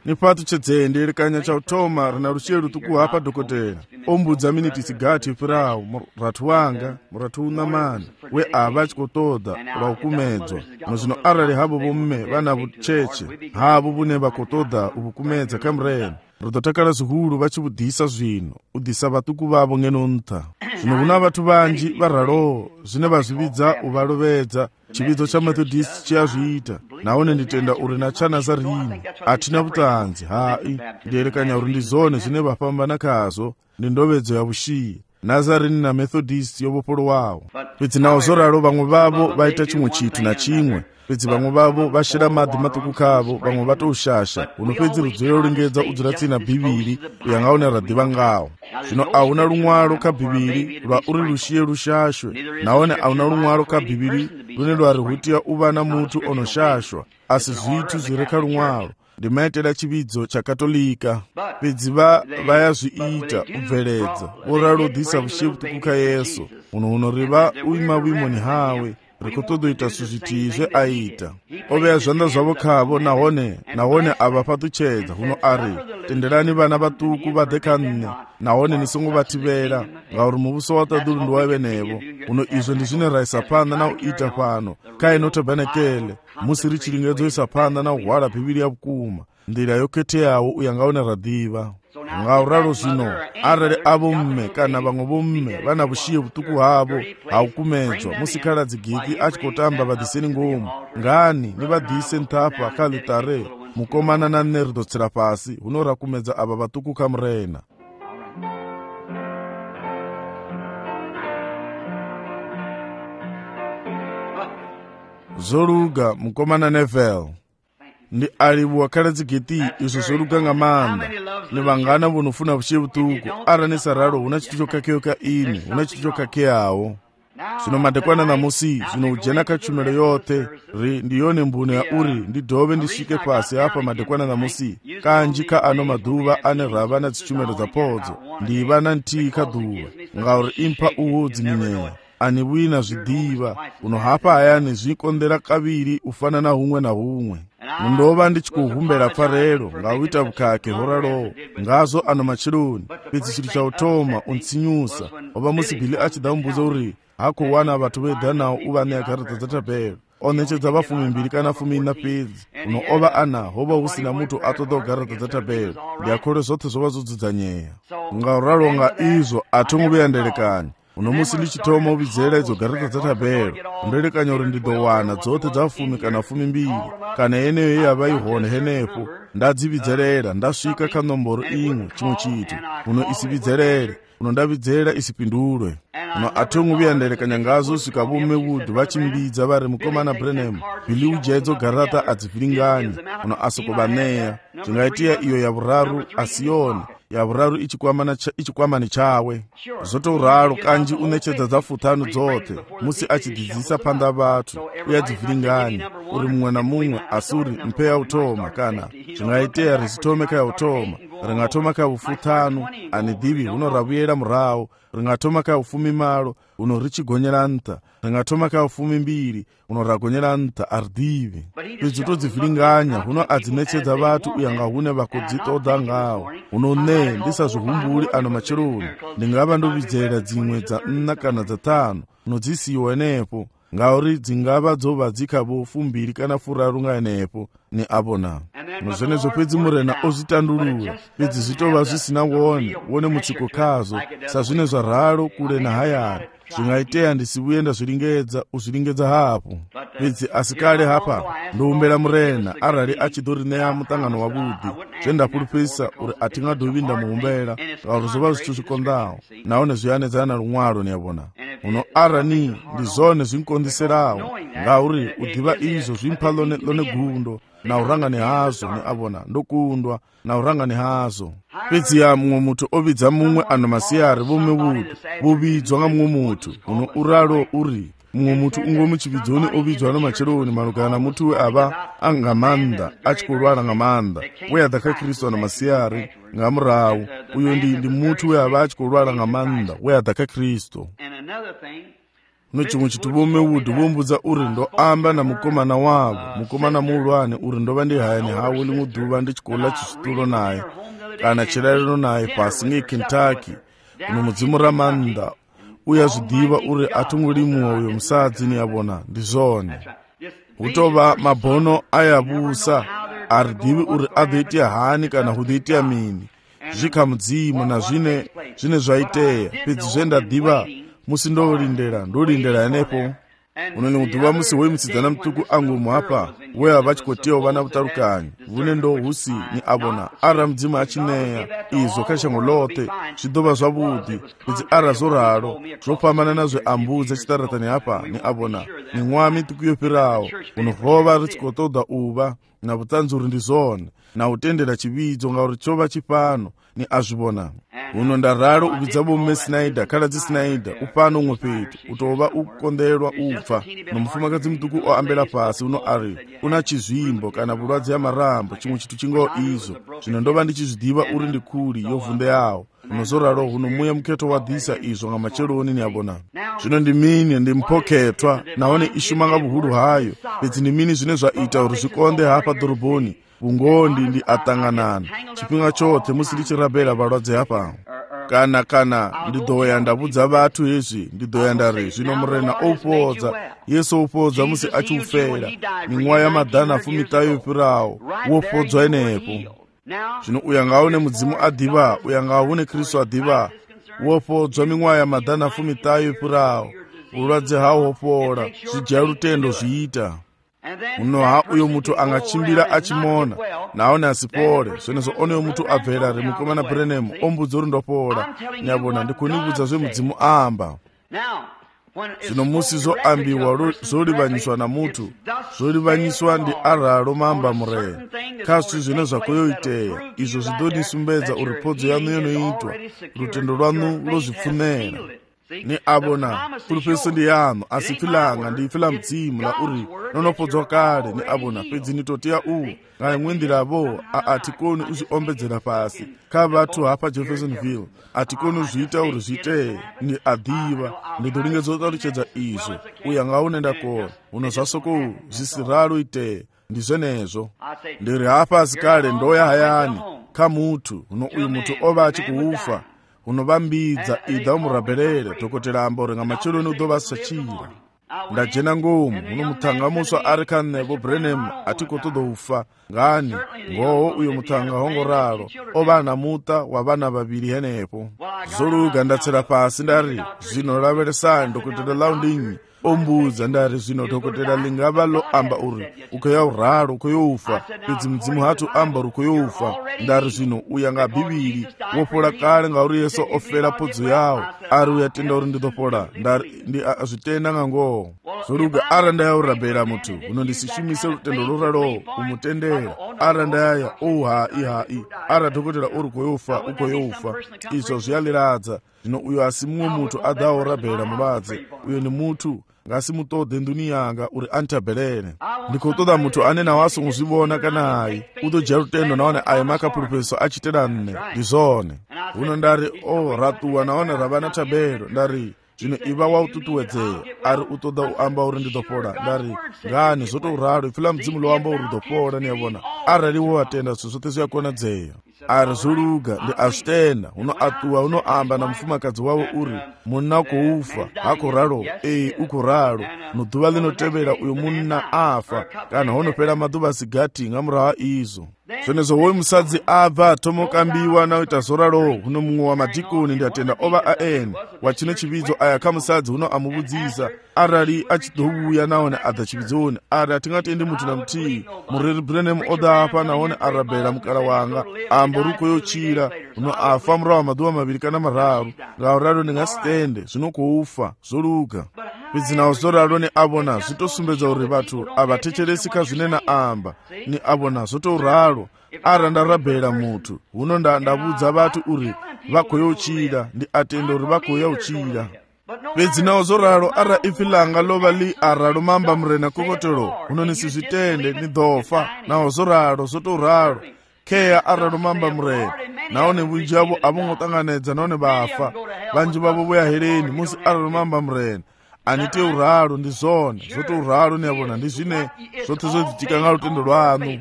ni patu chedzende likanya cha utoma rina rusheru tuku hapa dokotera ombudza miniti sigati pirawo muratu wanga muratu unamani we ava chikotoda vaukumedzwa nozvino arali havo vomme vana vucheche havo vune vakotoda uvukumedza kamrena rototakala zihulu vachivudhisa zvino udhisa vatuku vavo ng'enonta zvino kuna vatu vanji varalowo zvine vazvividza uvalovedza chividzo cha Methodist chiyazviita naone nditenda uri na chaNazarini atina vutanzi hai ndierekanya uri ndizone zvine vafambana kazvo ndindovedzo yavushiyi Nazarini na Methodist yovopolo wavo pedzi nawo zoralo vamwe vavo vaita chimwe chitu na chimwe pedzi vamwe vavo vashira madhi matuku kavo vamwe vatoushasha unopedzi rudziro rulingedza udziratsina bhiviri uyangaona radhiva ngawo zvino auna lumwalo kabhiviri lwa uri lushiye lushashwe naone auna lumwalo kabhiviri lune lwari hutiya uva na mutu onoshashwa asi zvitu zvireka lumwalo ndimaitira chividzo chakatolika pedzi vayazviita ubveledza voralodhisa vushiye vutukuka Yesu uno riva uima wimoni hawe rikutodoita suzvitizve aita oveya zvanda zvavo kavo nahone ava patuchedza huno ari tenderani vana vatuku vadhekanne nahone nisingovativera ngauri muvuso wataduru ndiwaive nevo uno izvo ndizvine raisa panda nauita pano kaino tabanekele musiri chiringedzo isa panda nauhwala bhiviri yavukuma ndira yoketeyawo uyangaona radhiva ngauralo zvino arali avo mme kana vamwe vomme vana vushiye vutuku havo haukumedzwa musikala dzigiki achikotamba vadhiseni ngomu ngani nivadhise ntapa kalitare mukomana na nne ridotsera pasi hunorakumedza ava vatuku kamurena zoruga mukomana Neville ndi alivu wakhala dzigeti izvo zoruga ng'amanda ni vangana vonofuna vushiye vutuku ara ni saralo huna chitu chokakeyo ka ini huna chitu chokakeyawo zvino madekwana namusi zvino ujena kachumelo yote ndiyone mbuno ya uri ndidhove ndisvike pasi apa madekwana namusi kanji ka ano maduva ane rava na dzichumelo dzapodzo ndiva na ntii kadhuva ngauri impa uwodzi nineya ani wina zvidhiva uno hapa ayani zvikondera kaviri ufana na humwe na humwe mundova ndichikuhumbera pfarero ngauita vukake horalowo ngazo ano machironi pedzi chiri chautoma untsinyusa oba musi Bhili achida mbuzo uri hako wana vatu vedhanawo uvane akaradza dzatapero onechedza vafumi mbiri kana fumi na pedzi uno ova ana hova usina mutu atoda kugaradza dzatapero ndiakhole zothe zova zodzudzanyeya ngauralo nga izvo atongoveyanderekanya uno musi ndichitoma uvidzera idzo garadza dzatapero ndorekanya uri ndidowana dzothe dzafumi kana fumi mbiri kana yeneyo yavaihone henepo ndadzividzerera ndasvika kanomboro imwe chimwe chitu uno isividzerere uno ndavidzera isipindulwe uno atongoviyanderekanya ngazo svika vome Wood vachimbidza vari mukomana Branham Bhili ujedzo garata adzivhiringanye uno asokovaneya zvingaitiya iyo yavuraru asiyoni yavuraru ichikwamani chawe zotouralo kanji unechedza dzafutano dzothe musi achidzidzisa panda vatu uyadzivhiringanye uri mumwe na mumwe asi uri mpe yautoma kana zvingaiteya risitome kayautoma ringatoma kayavufutano ani dhivi hunoravuyera murawo ringatoma kayavufumi malo uno richigonyera nta ringatoma kayavufumi mbiri uno ragonyera nta ari dhivi pedzi todzivhiringanya huno adzinechedza vatu uyanga hune vakodzitoda ngawo uno ne ndisazvihumburi ano machironi ndingava ndovidzera dzimwe dza nna kana dzatano unodzisiwa enepo ngauri dzingava dzova dzikavo fumbiri kana furaru ngaenepo ni abona nozvenezvo pedzi murena ozvitandurura pedzi zvitova zvisina wone mutsiko kazo sazvine zvararo kure nahayari zvingaiteya ndisivuye ndazviringedza uzviringedza hapo pedzi asikale hapa ndoumbera murena arali achidorineya mutangano wavudi zvendapurupisa uri atingadovinda muumbera ngauri zvova zvitu zvikondawo naone zviyanedzana lumwalo niyabona uno arani ndizone zvinkondiserawo ngauri udhiva izvo zvimpa lone gundo naurangani hazo ni abona ndokundwa naurangani hazo pedzi ya mumwe mutu ovidza mumwe ano masiyari vome Wood vovidzwa nga mumwe mutu uno uralo uri mumwe mutu ungomuchividzoni ovidzwa namachironi malugana mutu we ava angamanda achikolwala ngamanda we adhaka Kristu ano masiyari ngamurawu uyo ndi mutu we ava achikolwala ngamanda we adhaka Kristu no chimwe chithu vomewudi vombudza uri ndo amba na mukomana wavo, mukomana muhulwane, uri ndova ndi hayani hawo limwe duva ndichikola chichitulo naye kana chirariro naye pasi ngeKentucky uno mudzimu ramanda uyazvidiva uri atungulimuwa uyo musadzi niyavona ndizvone utova mabhono ayavusa aridivi uri adhoitia hani kana hudhoitia mini zvikamudzimu na zvine zvaiteya pedzi zvendadiva musi ndolindera yanepo unoni muduva musi wemutsidzana mutuku angu muhapa weya vachikotiwa vana vutarukanyi vune ndo husi ni avona ara mudzimu achineya izvo kashango lote zvidova zvavudi pedzi ara zoraro zvopambana nazve ambudza chitaratani apa ni avona ni mwami tukuyopirawo unohova ritsikotodha uva na vutsanzuri ndizvone na utendera chividzo ngauri chova chipano ni azvivona uno ndararo uvidza vomume Snyder kaladzi Snyder upano umwe petu utova ukukonderwa upfa nomufumakadzi mutuku oambela pasi uno ari una chizvimbo kana vurwadzi ya marambo chimwe chithu chingawo izvo zvino ndova ndichizvidiva uri ndikuli yovhunde yawo unozoraro huno muya muketo wadhisa izvo nga macheloni niyavona zvino ndimini ndimpoketwa naone ishumanga vuhulu hayo pedzi ndimini zvine zvaita uri zvikonde hapa dhorobhoni ungondi ndi atanganana chipinga chote musi ndichirabhela valwadze hapa kana ndidhoya ndavudza vathu hezvi ndidhoya ndari zvino murena opodza yesu opodza musi achiufera ming'wa yamadhana fumitayo yopirawo wopodzwa enepo zvino uyangaone mudzimu adhiva uyangaune Kristu adhiva wopodzwa ming'wa yamadhana fumitayo yopirawo ulwadze hawo hopora zvijaya rutendo zviita unoha uyo mutu angachimbira achimona naone asipore zvenezo oneyo mutu abvera remukomana Branham ombudza uri ndopora nyavona ndikunibudza zvemudzimu amba zvino musi zoambiwa zolivanyiswa na mutu zolivanyiswa ndi aralo mamba mureye kasu zvino zvakoyoiteya izvo zvidodisumbedza uri podzo yanu yonoitwa rutendo rwanu lozvipfunera ni abona pulpeso ndi yanu asifilanga ndiyifila mdzimu la uri nonopodzwa kale ni abona pedzi nitotiya uwu ngale mwindiravo atikoni uzviombedzera pasi ka vathu hapa Jeffersonville atikoni uzviita uri zviiteye ni adhiva ndidolingedzotaluchedza izvo uya ngaunenda kona uno zvasoko zvisiralo iteye ndizvenezvo ndiri hapa asikale ndoya hayani ka mutu uno uyu mutu ova achikuufa unovambidza idha umurabherere dhokotera ambore nga macheloni udova sachira ndajena ngomu uno mutanga muswa ari kanevo Branham atikotodoufa ngani ngoho uyo mutanga hongoraro ovana muta wa vana vaviri henepo zoluga ndatsera pasi ndari zvino laveresani dhokotera laundinyi ombudza ndari zvino dhokotera lingava lo amba uri ukoya uraro ukoyoufa pedzi mudzimu hatu amba uri ukoyoufa ndari zvino uyanga bhibhiri wopola kale ngauri yesu ofera podzo yawo ari uyatenda uri nditopola ndari ndi azvitenda ngangoho zoluga ara ndayaurabhera mutu uno ndisishimise rutendo loralo umutendera ara ndayaya hai ara dhokotera uri ukoyoufa izvo zviyaliradza zvino uyo asi mumwe mutu adaurabhera mulwadze uyo ni mutu ngasimutodhe nduni yanga uri antabherere ndikotoda mutu ane nawaso muzvivona kana hai utojya rutendo naone ayi makapulpeso achitera nne ndizvone uno ndari ratuwa naone ravana tabero ndari zvino iva waututuwedzeya ari utoda uamba uri ndidopora ndari ngani zvotouraro ifila mudzimu loamba uri ndopora niyavona arariwo atenda zvo zvote zviyakonadzeya ari zoluga ndi azvitenda uno atuwa unoamba na mufumakadzi wavo uri munna koufa hakoraro ukoraro nodhuva linotevera uyo munna afa kana honopera madhuva asigati ngamurawa izvo zvenezvo woyi musadzi abva atomokambiwa naoita zoraro uno mumwe wamadhikoni ndiatenda ova aeni wachine chividzo aya kamusadzi uno amuvudzisa arali achidouya naone adha chividzoni ari atingatendi mutu na mutii mureri Branham odaapa naone arabhera mukara wanga ambo rukoyochira uno afa murawa madhuva maviri kana mararu ngauraro ndingasitende zvinokoufa zoluga pedzi nawo zoraro ni avona zvitosumbedza uri vathu avatecheresika zvinena amba ni avona zvotouraro ara ndarabhera mutu huno ndavudza vathu uri vakoyochira ndi atenda uri vakoyauchira pedzi nawo zoraro ara ifilanga lova li aralo mamba murena kokotero huno nisizvitende ni dhofa nawo zoraro zvotouraro keya aralo mamba murena naone vunji yavo avongotanganedza naone vafa vanji vavo voya heleni musi aralo mamba murena anite uralo ndi zona zote uralo niyabona ndi zvine zote zodzitika nga lutendo lwanu.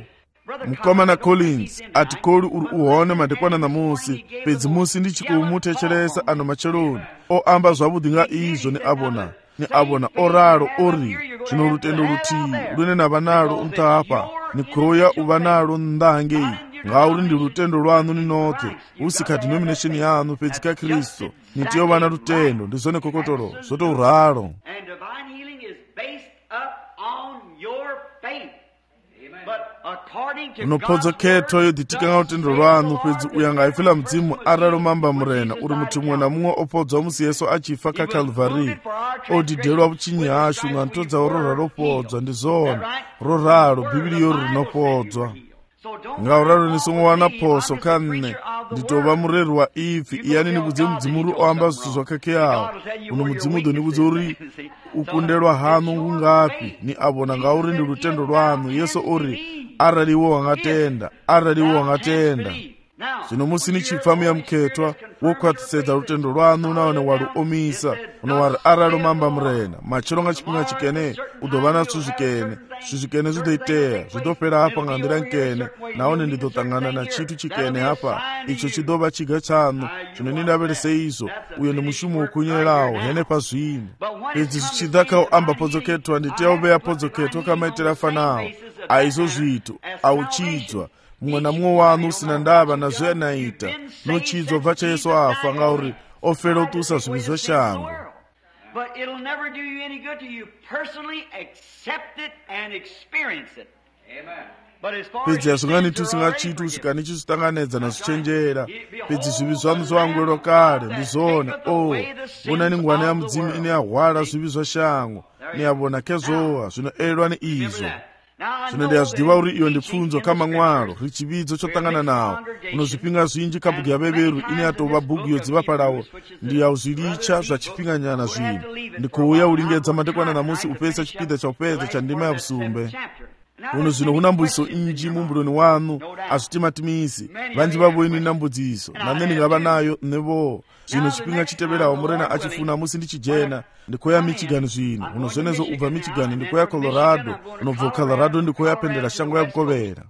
Mkomana Collins ati koli uri uone madekwana namusi pedzi musi ndichikumutecheresa ano macheloni oamba zvavudi nga izvo ni abona oralo ori zvino lutendo lutii lunena vanalo untapa ni kuroya uvanalo ndange ngauri ndi lutendo lwanu ninote usika denomination yanu pedzi ka Kristo nitiyo vana lutendo ndizone kokotolo zote uralo. Unopodza khetho yoditika nga lutendo lwanu pedzi uyanga ifila mdzimu aralo mamba murena uri muti mwe na mumwe opodzwa musi Yesu achifa ka Calvary odidelwa vuchinyi hashu nga ntodza orora lopodzwa ndi zona roralo bhibiliyo rinopodzwa ngauralo nisongowana poso kanne nditova mureri wa ifi iyani nikudze mudzimuri oamba zvithu zvakakeyawo uno mudzimudo nikudze uri ukundelwa hanu ungapi ni abona ngauri ndi lutendo lwanu. Yesu uri araliwo wangatenda zvino musi nichipfa muya mukhetwa wokhwatisedza lutendo lwanu naone waluomisa unowari aralo mamba murena machero nga chipinga chikene udova na zvizvikene zvidoiteya zvidopera hapa nga ndira nkene naone ndidotangana na chitu chikene hapa icho chidova chiga chanu zvino nindaverese izvo uyo ndi mushumo wokunyelawo hene pazvino pedzi zvichidza kauamba podzoketwa nditiya uveya podzoketwa kamaitira fanawo aizo zvitu auchidzwa mumwe na mumwe wanu usina ndava nazvo yanaita nochidzwa bva chayesu afa ngauri ofera utusa zvivi zvoshango. Pedzi hazvinganiti usingachitu usika nichizvitanganedza nazvichenjera pedzi zvivi zvanu zvawangwero kare ndizone vonani ngwana ya mudzimu ine yahwara zvivi zvoshango niyavona kezvowa zvinoererwa neizvo zvino ndiyazvidiva uri iyo ndipfunzo kamang'waro richividzo chotangana nawo unozvipinga zvinji kabhuku yaveveru ine yatova bhuku yodziva palawo ndiyauzviricha zvachipinganyana zvinhu ndikuuya ulingedza madekwana namusi upesa chipida chaupedza chandima ya vusumbe uno zvino una mbudziso inji mumbuloni wanu azvitimatimisi vanji vavoini na mbudziso nane ndingava nayo nevo zvino chipinga chiteverawo murena achifuna musi ndichijena ndikoya Michigan zvino uno zvenezo ubva Michigan ndikoya Colorado unobva Colorado ndikoya pendera shango yakukovera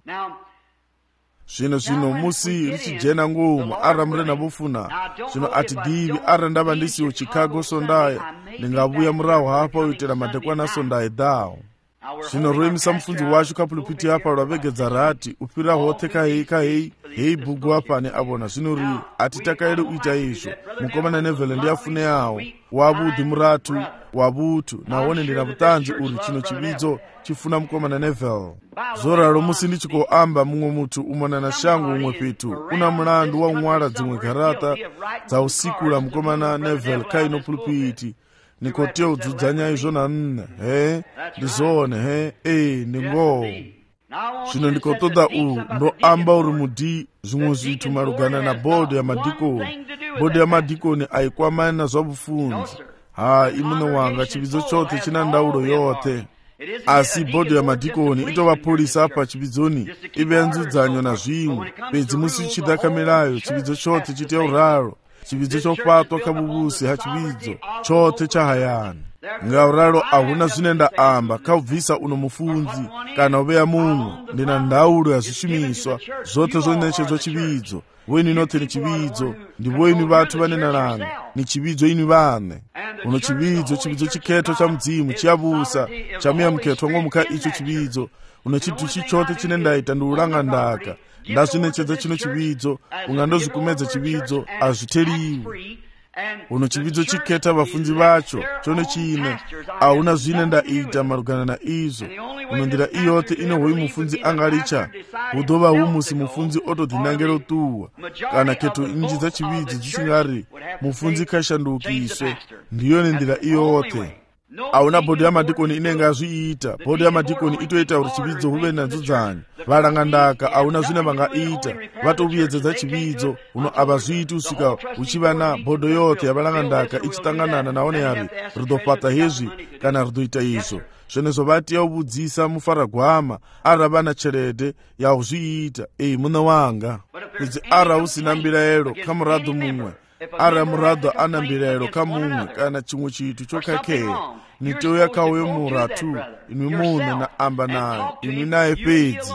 zvino musi richijena ngomu ara murena vofuna zvino ati divi ara ndava ndisiwo Chicago sondaye ndingavuya murawo hapa uitira madekwana sondaye dhawo zvino roemisa mufudzi wacho kapulupiti apa rwavegedza rati upira hothe kahei bhuku apane abona zvino ri atitakairi uita izvo mukomana Neville ndiyafune yawo wavudhi muratu wavutu naone ndina vutanzi uri chino chividzo chifuna mukomana Neville zoraro musi ndichikoamba mumwe mutu umona na shangu umwe pitu una mulandu wa umwala dzimwe garata dzausikula mukomana Neville kaino pulupiti nikotia udzudzanya izvo na nne ndizone ndingowo zvino ndikotoda ndoamba uri mudi zvimwe zvitu marugana na bhodhi ya madhikoni aikwamani na zvabufunzi imuno wanga chividzo chote china ndaulo yote asi bhodhi ya madhikoni itova polisa apa chividzoni ive yanzudzanyo na zvimwe pedzi musi chidakamirayo chividzo chote chitiya uralo chividzo chofatwa kabubusi hachividzo chote chahayani ngauralo ahuna zvine ndaamba kaubvisa uno mufunzi kana uveya mumwe ndina ndaulo yazvishumiswa zvote zvonechedzwa chividzo weni note ni chividzo ndivoini vatu vanenarana ni chividzo ini vane uno chividzo chikhetho cha mudzimu chiyavusa chamuya mukhetho ngomuka icho chividzo uno chitu chichote chine ndaita ndiulanga ndaka ndazvinechedza chino chividzo ungandozvikumedza chividzo azviteliwi uno chividzo chikheta vafunzi vacho chone chine auna zvine ndaita marugana na izvo uno ndira iyote ine hoi mufunzi angaricha hudova humusi mufunzi otodhinangero tuwa kana kheto inji dza chividzo dzisingari mufunzi kashandukiswe ndiyone ndira iyote auna bhodhi ya madhikoni inenge azviita bhodhi ya madhikoni itoita uri chividzo huve nanzudzanyo valanga ndaka auna zvine vangaita vatovuyedzedza chividzo uno ava zviiti usvika uchiva na bhodho yote yavalanga ndaka ichitanganana naone yari ridopata hezvi kana ridoita izvo zvenezvo vati yauvudzisa mufaragwama arava na cherede yauzviita muna wanga pedzi ara usina mbirayero kamuradho mumwe ara murado ana mbilelo kamumwe kana chimwe chitu chokakheya nito yakauye muratu inu mune na amba naye inu naye pedzi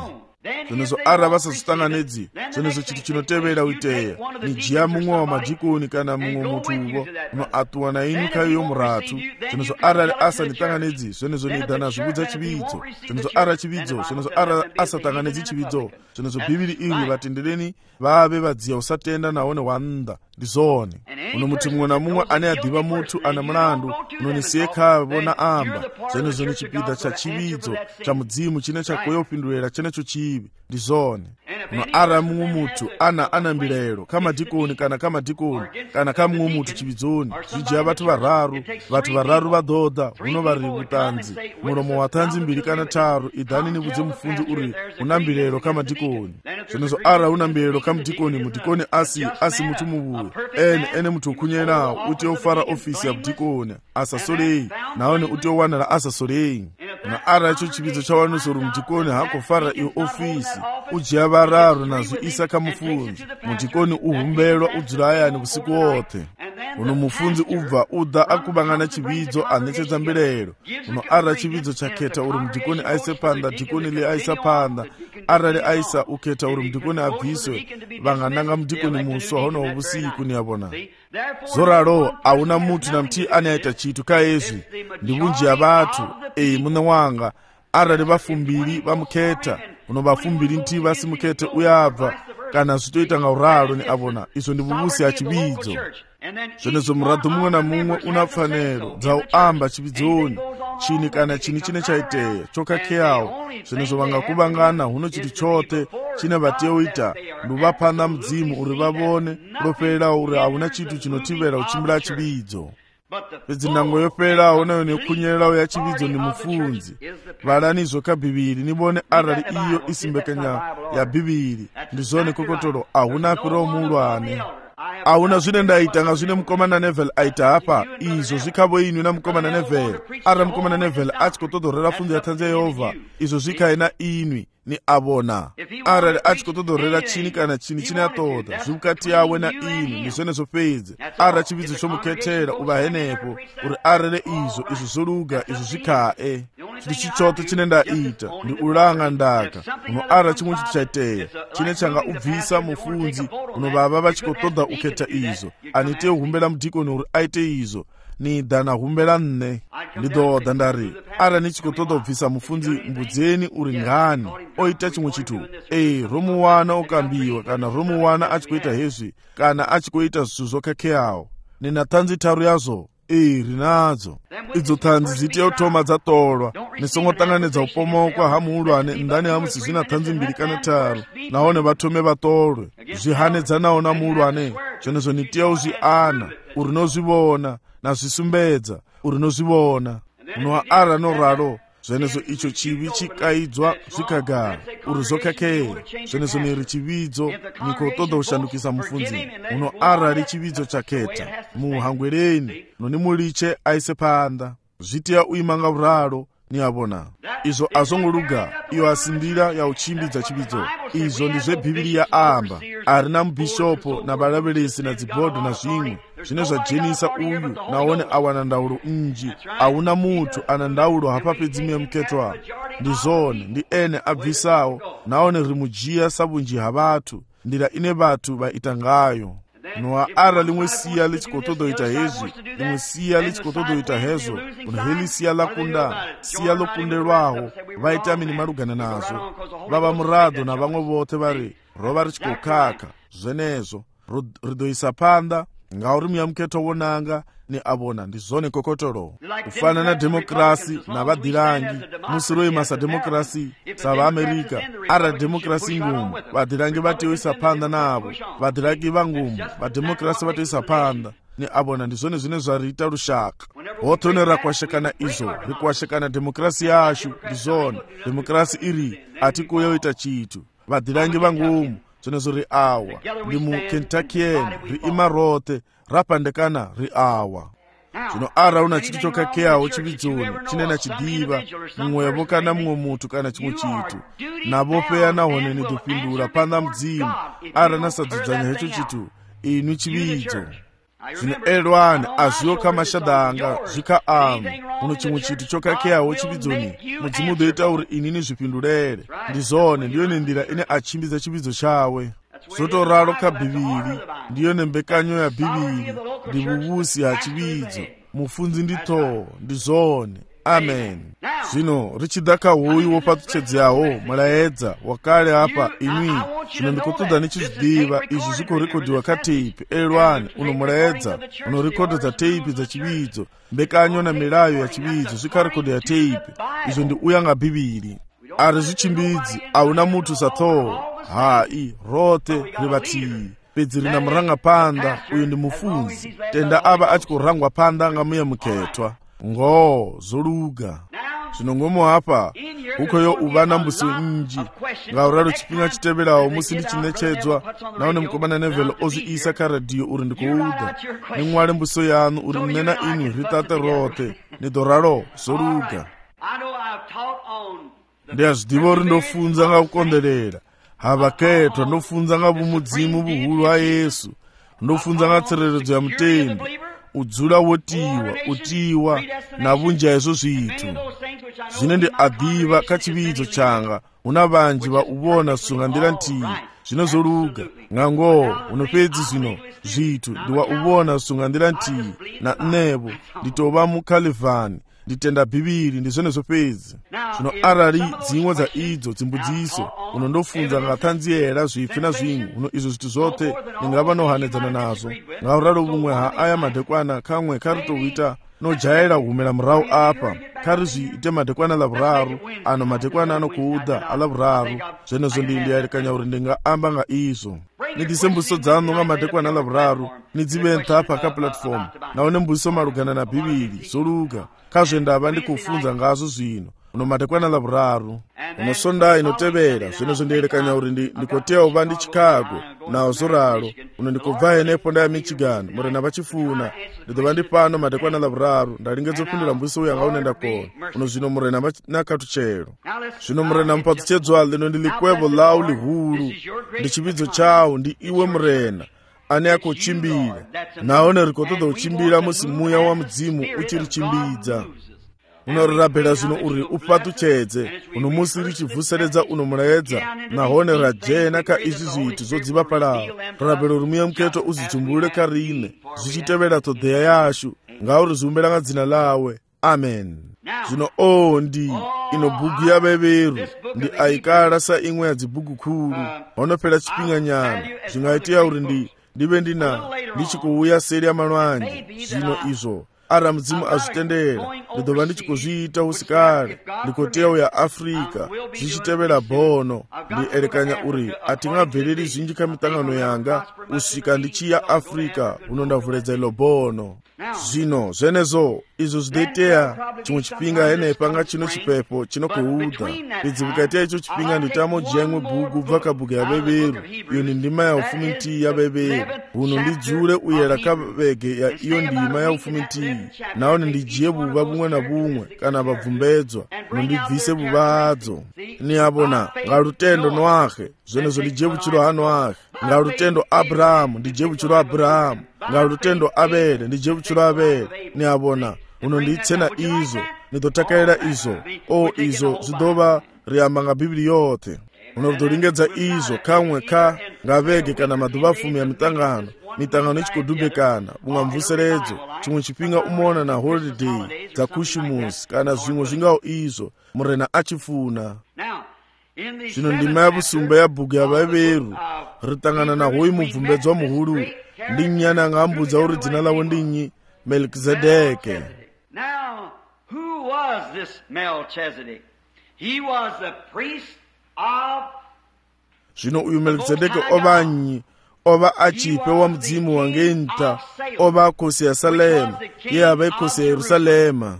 zvenezo ara vasazotanganedzi zvenezo chitu chinotevera uiteya nijiya mumwe wa madhikoni kana mumwe mutuvo unoatuwa na inu kaiyo muratu zvenezo ara asanitanganedzi zvenezo nidhana zvibudza chividzo zvenezo ara chividzo zvenezo ara asatanganedzi chividzo zvenezo bhibhiri iri vatendereni vave vadziya usatenda naone wanda ndizone uno muti mumwe na mumwe ane adhiva mutu ana mulandu unoniseka vona amba zvenezo ni chipidha cha chividzo cha mudzimu chine chakoya upindulira chenecho chivi ndizone uno ara mumwe mutu ana mbilelo kamadhikoni kana kamadhikoni kana kamumwe mutu chividzoni zvijiya vatu vararu vadhodha uno vari mutanzi muromo wa tanzi mbiri kana taru idhani nibudze mufunzi uri una mbilelo kamadhikoni zvenezo ara una mbilelo kamudhikoni mudhikoni asi mutu muvuyo ene mutu ukunyena uti ofara ofisi ya mudhikoni asasolei naone uti owanala asasolei na ara icho chividzo chawanosoro mudhikoni hakofara iyo ofisi ujiya vararu nazvo isa kamufunzi mudhikoni uhumbelwa udzurayani usiku wote uno mufunzi udha akubangana chividzo anetsedza mbilelo uno ara chividzo chaketa uri mudhikoni aise panda dhikoni li aisa panda ara li aisa uketa uri mudhikoni abviswe vangananga mudhikoni muswa hono usiku niyabona zoralo auna mutu na mti ane aita chitu kaezvi ndivunji ya vatu mune wanga ara li vafumbiri vamuketa uno vafumbiri nti vasimukete uyabva kana zvitoita ngauralo ni abona izvo ndivuvusi ya chividzo zvenezo muradho mumwe na mumwe una pfanelo dzauamba chividzoni chini kana chini chine chaiteya chokakheyawo zvenezo vangakuvangana huno chiti chote chine vateuita nduvapanda mudzimu uri vavone ropererawo uri hauna chitu chinotivera uchimbira chividzo pedzi ndango yopererawo nayo nekunyererawo ya chividzo ndi mufunzi valanizvo kabhibhiri nivone arali iyo isimbekanya ya bhibhiri ndizone kokotolo ahuna apirawo mulwane auna zvine ndaita nga zvine mukomana Neville aita apa izvo zvikavo inyu na mukomana Neville ara mukomana Neville achikotodorera funzo ya tanzi Yehova izvo zvikaina inwi ni abona arali achikotodorera chini kana chini chine atoda zvimukati yawe na inwi ndizvonezvo pedzi ara chividzo chomuketera uvahenepo uri arele izvo zvoluga izvo zvikae chiti chichote chine ndaita ndi ulanga ndaka uno ara chimwe chiti chaiteya chine changa ubvisa mufunzi unovava vachikotoda uketa izvo anite uhumbela mudhikoni uri aite izvo ni dana humbela nne ndidhodha ndari ara nichikotoda ubvisa mufunzi mbudzeni uri ngani oita chimwe chitu romuwana okambiwa kana romuwana achikoita hezvi kana achikoita zvinhu zvokakheyawo nina tanzi taru yazvo rinadzo idzo tanzi dziteyotoma dzatolwa nisongotanganidza upomokwa hamuulwane ndani hamusi zvina tanzi mbiri kana taru naone vatome vatolwe zvihanedzanawo na muulwane zvenezvo nitiya uzviana uri nozvivona nazvisumbedza uri nozvivona unowa ara noralo zvenezvo icho chivi chikaidzwa zvikagara uri zokakheya zvenezvo niri chividzo nikotoda kushandukisa mufunzi uno arali chividzo chaketa muhangwereni noni muliche aise panda zvitiya uimanga uralo niyabona izvo azongoluga iyo asindira ya uchimbidza chividzo izvo ndizvebhibhiri ya amba arina mubhishopo navalaveresi na dzibhodho na zvimwe zvine zvajenisa uyu naone awana ndaulo nji auna mutu ana ndaulo hapapedzimwe muketwa ndizone ndi ene abvisawo naone rimujiya sabunji havatu ndira ine vatu vaita ngayo noa ara limwe siya lichikotodoita hezvi limwe siya lichikotodoita hezvo unheli siya lakunda siya lokundelwaho vaitamini marugana nazvo vava muradho na vamwe vote vari rova richikokaka zvenezvo ridoisa panda ngauri muyamuketo wonanga ni abona ndizone kokotolo kufana na demokrasi na vadhirangi musiroi masa demokrasi savaamerica ara demokrasi ngumu vadhirangi vateoisa panda navo vadhirangi vangumu vademokrasi vateoisa panda ni abona ndizone zvine zvariita rushaka hotone rakwashekana izvo rikwashekana demokrasi yashu ndizone demokrasi iri atikuyoita chitu vadhirangi vangumu zvenezvo ri awa ndi mukentuckian ri imarote rapandekana ri awa zvino ara una chitu chokakheyawo chividzoni chinena chidiva mumwevo kana mumwe mutu kana chimwe chitu navopeya nahone nidopindura panda mudzimu ara nasadzudzanya hecho chitu inwi chividzo zvino elwani azviyoka mashadha anga zvika anu uno chimwe chiti chokakheyawo chipidzoni mudzimu udoita uri inini zvipindurere ndizone ndiyo nendira ine achimbidza chipidzo chawe zotoraro kabhiviri ndiyo nembekanyo ya bhiviri ndivuvusi hachipidzo mufunzi nditoo ndizone amen. Zvino richida kahuyu wopatuchedzawo mulaedza wakale apa imwi zvino ndikutodza nichizvidiva izvi zvikorekodhiwa kateipi elwani uno mulaedza unorekodedza teipi dzachividzo mbekanyo na milayo ya chividzo zvikarekodheya teipi izvo ndi uyanga bhibhiri ari zvichimbidzi auna mutu satoo hai rote rivatii pedzi rina murangapanda uyu ndi mufunzi tenda ava achikurangwa panda ngamuya muketwa ngo zoluga zvinongomo apa ukoyo uvana mbuso nji ngauraro chipinga chiteverawo musi ndichinechedzwa naone mukomana nevhelo ozviisa karadhiyo uri ndikuuda nimwari mbuso yanu uri mnena inyu ritate rote nidoraro zoluga ndiyazvidiva uri ndofunza ngakukonderera havaketwa ndofunza ngavumudzimu vuhulu wa Yesu ndofunza ngatsereredzo ya mutendi udzula utiwa na vunja izvo zvitu zvine ndi adhiva kachividzo changa una vanji vauvona sunga ndira ntii zvino zoluga ng'ango unopedzi zvino zvitu ndiwauvona sunga ndira ntii na nevo nditova mukalivhani nditenda bhibhiri ndizvone zvopedzi zvino arari dzimwe dza idzo dzimbudziso unondofunza ngatanziyera zvipfi na zvimwe uno izvo zvitu zvote ndingava nohanedzana nazvo ngauraro vumwe haaya madhekwana kamwe kari touita nojaira humela murau apa kari zviite madhekwana lavuraru ano madhekwana anokuudha alavuraru zvenezvo ndiyarikanya uri ndingaamba nga izvo nidise mbuso dzanu nga madhekwana lavuraru nidziventa pakaplatform naone mbuso marugana na bhibhiri zoluga kazvendava ndikufunza ngazvo zvino uno madhekwana lavuraru unosonda inotevera zvenezvo ndiyerekanya uri ndikoteya uva ndi Chicago nawo zoralo uno ndikubva henepo ndaya Michigan murena vachifuna ndidova ndi pano madhekwana lavuraru ndalingedzopindura mbuso uyu angaunenda kona uno zvino murena nakatuchero zvino murena mpatuchedzwa lino ndilikwevo lau lihulu ndi chividzo chawo ndi iwe murena ane akuchimbira naone rikotoda uchimbira musi muya wa mudzimu uchirichimbidza unorabhela zvino uri upatuchedze uno musi richivhuseredza uno mulaedza nahone rajena ka izvi zvitu zodziva palawo rabhela uri muya muketo uzichumbulule karine zvichitevera todheya yashu ngauri zviumbela nga dzina lawe amen. Zvino ndi ino bhugu yaveveru ndi aikala sa imwe ya dzibhugu khulu wanopela chipinga nyana zvingaitiya uri ndive ndichikuuya seri ya malwanje zvino izvo ara mudzimu azvitendera ndidova ndichikuzviita usikale ndikoteya uya Afrika zvichitevera bono ndierekanya uri atingabveleri zvinji kamitangano yanga usvika ndichiya Afrika uno ndavhuledza ilo bono zvino zvenezvo izvo zvidoiteya chimwe chipinga henepa nga chino chipepo chinokuudha pedzi vikaiteya icho chipinga nditamojiya imwe bhugu bva kabhuku yaveveru iyo ni ndima ya ufumi ntii yaveveru uno ndidzule uyera kavege ya iyo ndima ya ufumi ntii naone ndijiye vuva vumwe na vumwe kana vabvumbedzwa uno ndibvise vuva hadzo niyavona ngalutendo Noahe zvenezvo ndijiye vuchiro haNoahe ngalutendo Abrahamu ndijiye vuchiro Abrahamu ngalutendo Abele ndijiye vuchiro Abele niyavona uno nditsena izo nidotakaira izo izo zvidova riyamba nga bhibhiri yote uno ridolingedza izo kamwe ka ngavege kana madhuva fumi ya mitangano ichikudhubhekana bunga mvuseredzo chimwe chipinga umona na holiday dza kushimusi kana zvimwe zvingawo izo murena achifuna zvino ndima ya vusumba ya bhuku yavaveru ritangana na hoyi mubvumbedzwa muhulu ndi nyana ngambudza uri dzina lawo ndinyi Melchizedeke. Now, who was this Melchizedek? He was the priest of zvino uyu Melchizedeke ovanyi ova achipe wa mudzimu wangenta ova akosi ya Salema ye ava ikosi ya Yerusalema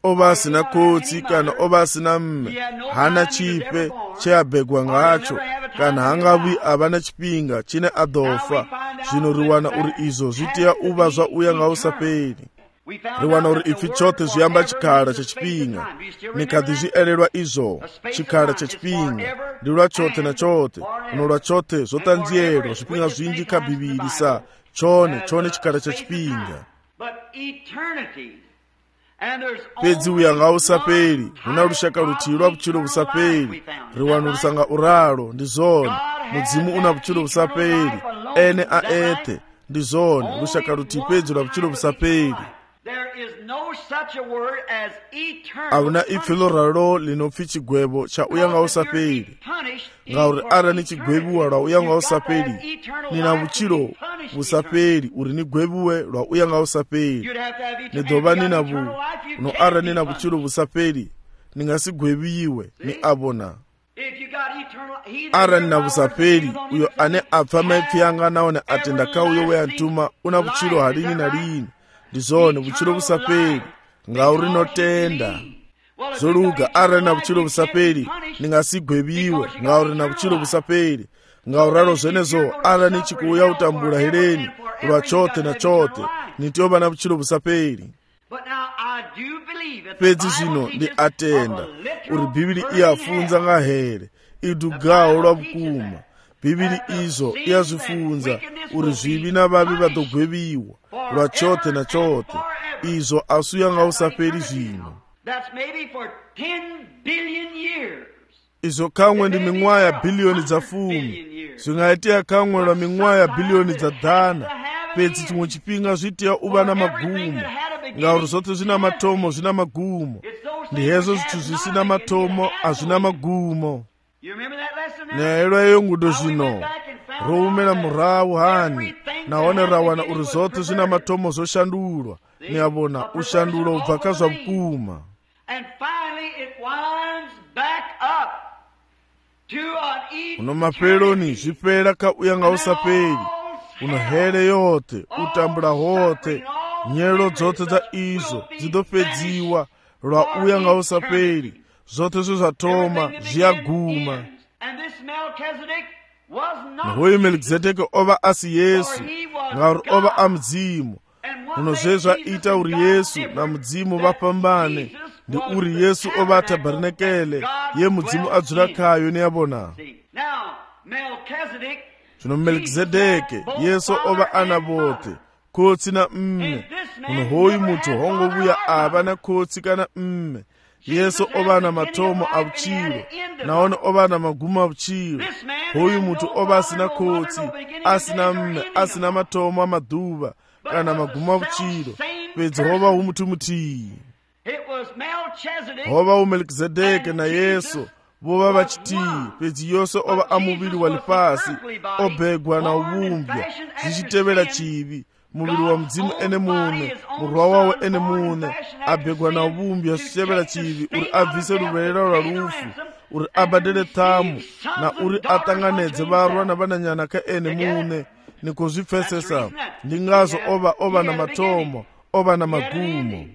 ova asina kotsi kana ova asina mme hana chipe cheabhegwa ngacho kana hangavi avana chipinga chine adofa zvino riwana uri izvo zvitiya uva zva uya ngausaperi ri wana uri ipfi chote zwi amba tshikhala tsha tshifhinga. Ni kha ḓi zwi elelwa izwo, tshikhala tsha tshifhinga ndi lwa tshoṱhe na tshoṱhe, no lwa tshoṱhe zwo ṱanzielwa zwifhinga zwinzhi kha Bivhili sa tshone tshikhala tsha tshifhinga. Fhedzi u ya nga u sa fheli, hu na lushaka luthihi lwa vhutshilo vhu sa fheli. Ri wanulusa nga uralo, ndi zwone mudzimu u na vhutshilo vhu sa fheli, ene a eṱhe, ndi zwone lushaka luthihi fhedzi lwa vhutshilo vhu sa fheli. A hu na ipfi ḽo ralo ḽi no pfi tshigwevho tsha u ya nga u sa fheli, ngauri arali ni tshi gwevhiwa lwa u ya nga u sa fheli, ni na vhutshilo vhu sa fheli uri ni gwevhiwe lwa u ya nga u sa fheli. Ni ḓo vha ni na no arali ni na vhutshilo vhu sa fheli, ni nga si gwevhiwe, ni a vhona. Arali na vhu sa fheli, uyo ane a pfa maipfi anga nahone a tenda kha uyo we a ntuma u na vhutshilo ha lini na lini. Ndi zwone vhutshilo vhu sa fheli ngauri no tenda. Zwo luga arali na vhutshilo vhu sa fheli, ni nga si gwevhiwe ngauri na vhutshilo vhu sa fheli. Ngauralo zwenezwo arali ni tshi khou ya u tambula heleni lwa tshoṱhe na tshoṱhe, ni tea u vha na vhutshilo vhu sa fheli. Fhedzi zwino ndi a tenda uri Bivhili i a funza nga here i dugaho lwa vhukuma. Bivhili izwo i a zwi funza uri zwivhi na vhavhi vha ḓo gwevhiwa lwa tshoṱhe na tshoṱhe. Izwo a si u ya nga u sa fheli zwino. Izwo khaṅwe ndi miṅwaha ya biḽioni dza 10, zwi nga itea khaṅwe lwa miṅwaha ya biḽioni dza 100. Fhedzi tshiṅwe tshifhinga zwi tea u vha na magumo, ngauri zwoṱhe zwi na mathomo zwi na magumo. Ndi hezwo zwithu zwi si na mathomo a zwi na magumo. Ni a elwa eyo ngudo zwino, ro humela murahu hani, nahone ra wana uri zwoṱhe zwi na mathomo zwo shandulwa. Ni a vhona u shandulwa u bva kha zwa vhukuma. Uno mafheloni zwi fhela kha u ya nga u sa fheli. Uno hele yoṱhe, u tambula hoṱhe, nyelo dzoṱhe dza izwo dzi ḓo fhedziwa lwa u ya nga u sa fheli. Zwoṱhe zwe zwa thoma zwi a guma. Na hoyu Melikizedeki o vha a si Yesu, ngauri o vha a mudzimu. Uno zwe zwa ita uri Yesu na mudzimu vha fhambane ndi uri Yesu o vha a tabernakeḽe ye mudzimu a dzula khayo. Ni a vhona zwino Melikizedeki Yesu o vha a na vhoṱhe, khotsi na mme. Uno hoyu muthu ho ngo vhuya a vha na khotsi kana mme. Yesu o vha na mathomo a vhutshilo, nahone o vha na magumo a vhutshilo. Hoyu muthu o vha a si na khotsi, a si na mme, a si na mathomo a maḓuvha kana magumo a vhutshilo. Fhedzi ho vha hu muthu muthihi. Ho vha hu Melikizedeki na Yesu vho vha vha tshithihi. Fhedzi Yesu o vha a muvhili wa ḽifhasi, o begwa na u vhumbwa zwi tshi tevhela tshivhi. Muvhili wa mudzimu ene muṋe, murwa wawe ene muṋe, a begwa na u vhumbwa zwi tshi tevhela tshivhi uri a bvise luvhelela lwa lufu, uri a badele ṱhamu na uri a ṱanganedze vharwa na vhananyana kha ene muṋe. Ni khou zwi pfesesa? Ndi ngazwo o vha na mathomo, o vha na magumo.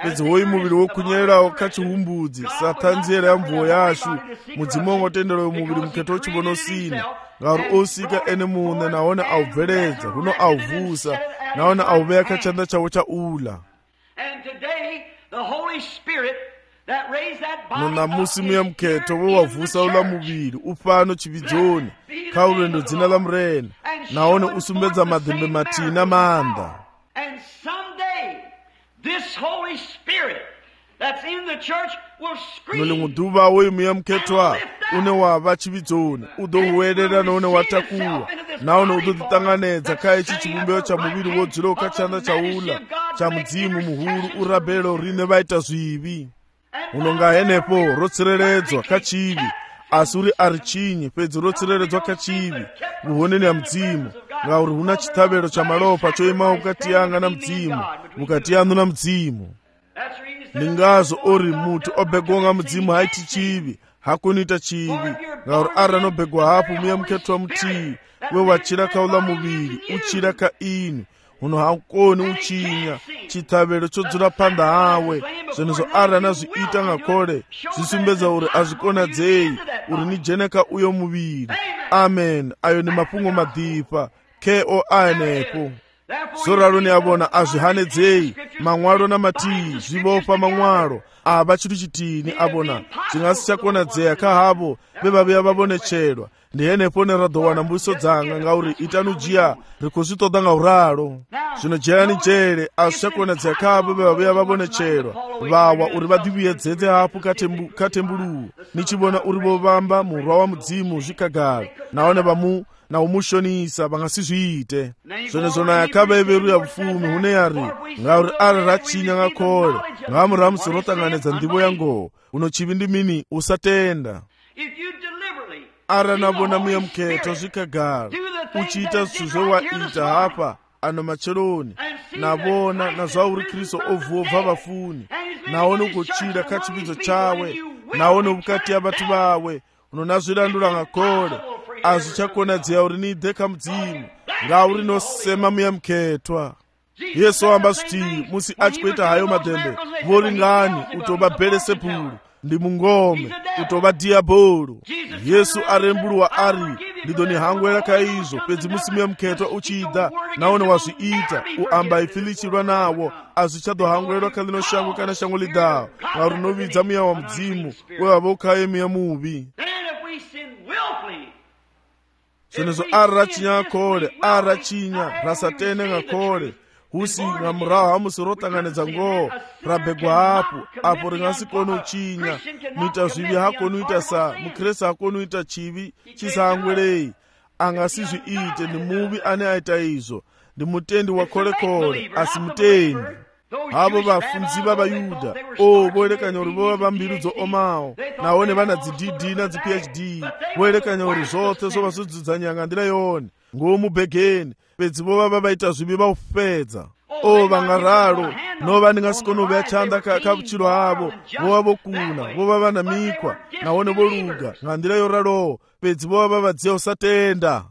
Fhedzi hoyu muvhili wo khunyelelaho kha tshihumbudzi sa ṱhanziela ya mvuwo yashu, mudzimu ngo tendela uyo muvhili mukhetho u tshi vhona sina, ngauri o sika ene muṋe nahone a u bveledza, huno a u vusa nahone a u vhea kha tshanḓa tshawe tsha ula. No ṋamusi muya mukhetho we wa vusa uḽa muvhili u fhano tshivhidzoni kha u lwendo dzina ḽa murena, nahone u sumbedza maḓembe mathihi na maanḓa. No ḽiṅwe ḓuvha hoyu muya mukhethwa une wa vha tshivhidzoni u ḓo huwelela nahone wa takuwa, nahone u ḓo ḓiṱanganedza kha itshi tshivhumbeo tsha muvhili wo dzulaho kha tshanḓa tsha ula tsha mudzimu muhulu u rabelaho riṋe vha ita zwivhi. Uno nga henefho ro tsireledzwa kha tshivhi, a si uri a ri tshinyi, fhedzi ro tsireledzwa kha tshivhi vhuhoneni ha mudzimu, ngauri hu na tshiṱhavhelo tsha malofha tsho imaho vhukati yanga na mudzimu, vhukati yaṋu na mudzimu. Ndi ngazwo ori muthu o begwa nga mudzimu ha iti tshivhi, ha koni ita tshivhi, ngauri arali no begwa hafhu muya mukhethwa muthihi we wa tshila kha uḽa muvhili u tshila kha ini, huno ha koni u tshinya tshiṱhavhelo tsho dzula phanḓa hawe. Zwenezwo arali na zwi ita nga khole, zwi sumbedza uri a zwi konadzei uri ni dzhene kha uyo muvhili. Amen. Ayo ndi mafhungo maḓipfa kheo a henefho. soralo ni abona azvihanedzei manwalo namatiyi zvibofa manwalo ava chiri chitini abona chingasi chakonadzea kahavo vevaviya vavonechedwa ndihenepo neradowana mbuso dzanga ngauri itanujiya rikuzvitoda ngauralo zvinojeyani jere azvichakonadzea kahavo vevaviya vavonechedwa vawa uri vadiviyedzedze hapo katembuluwu nichivona uri vovamba murwa wa mudzimu zvikagara naone vamu na umushonisa vangasizviite zvenezvo naye akavaveruya vufumi hune yari ngauri ari rachinya ngakole ngamuramusi rotanganidza ndivo yangoho unochivi ndimini usatenda ara navona muya muketo zvikagara uchiita zvozvowaita hapa ano macheloni navona nazvauri kristu ovhobva vafuni naone kuchira kachividzo chawe naone vukati yavatu vawe unonazvirandura ngakole azvichakonadzea uri nidheka mudzimu ngauri nosema muya muketwa yesu amba zviti musi achikuita hayo madhembe vori ngani utova bheresebhuru ndi mungome utova dhiyabhoro yesu arembulwa ari ndidoni hangwera kaizvo pedzi musi muya muketwa uchida naone wazviita uamba ifilichirwa nawo azvichadohangwerwa kalino shango kana shango lidawo ngauri novidza muya wa mudzimu wevavokaye muya muvi zvenezvo ari rachinya ngakole ari rachinya rasatene ngakole husi ngamuraho hamusi rotanganidza ngoho rabhegwa hapo apo ringasikoni uchinya muita zvivi hakoni uita sa mukreste hakoni uita chivi chisahangwerei angasizviite ndi muvi ane aita izvo ndi mutendi wakolekole asi mutendi havo vafunzi vavayudha voerekanya uri vova vambirudzo omawo naone vana dzidhidhi nadziphd voerekanya uri zvose zvova zvodzidzanyanga ndira yone ngomubhegeni pedzi vova vavaita zvivi vaufedza vangararo nova ndingasikoni uveya chanda kavuchiro havo vova vokuna vova vana mikwa naone voluga ngandira yoralowo pedzi vova vavadziya usatenda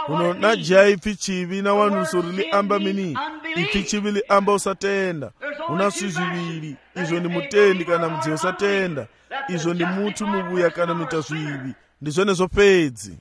uno najiya ipfi chivi nawanuso rili amba mini ipfi chivi li amba usatenda una swi zviviri izvo ndi mutendi kana mudziya usatenda izvo ndi mutu muvuya kana muita zvivi ndi zvone zvopedzi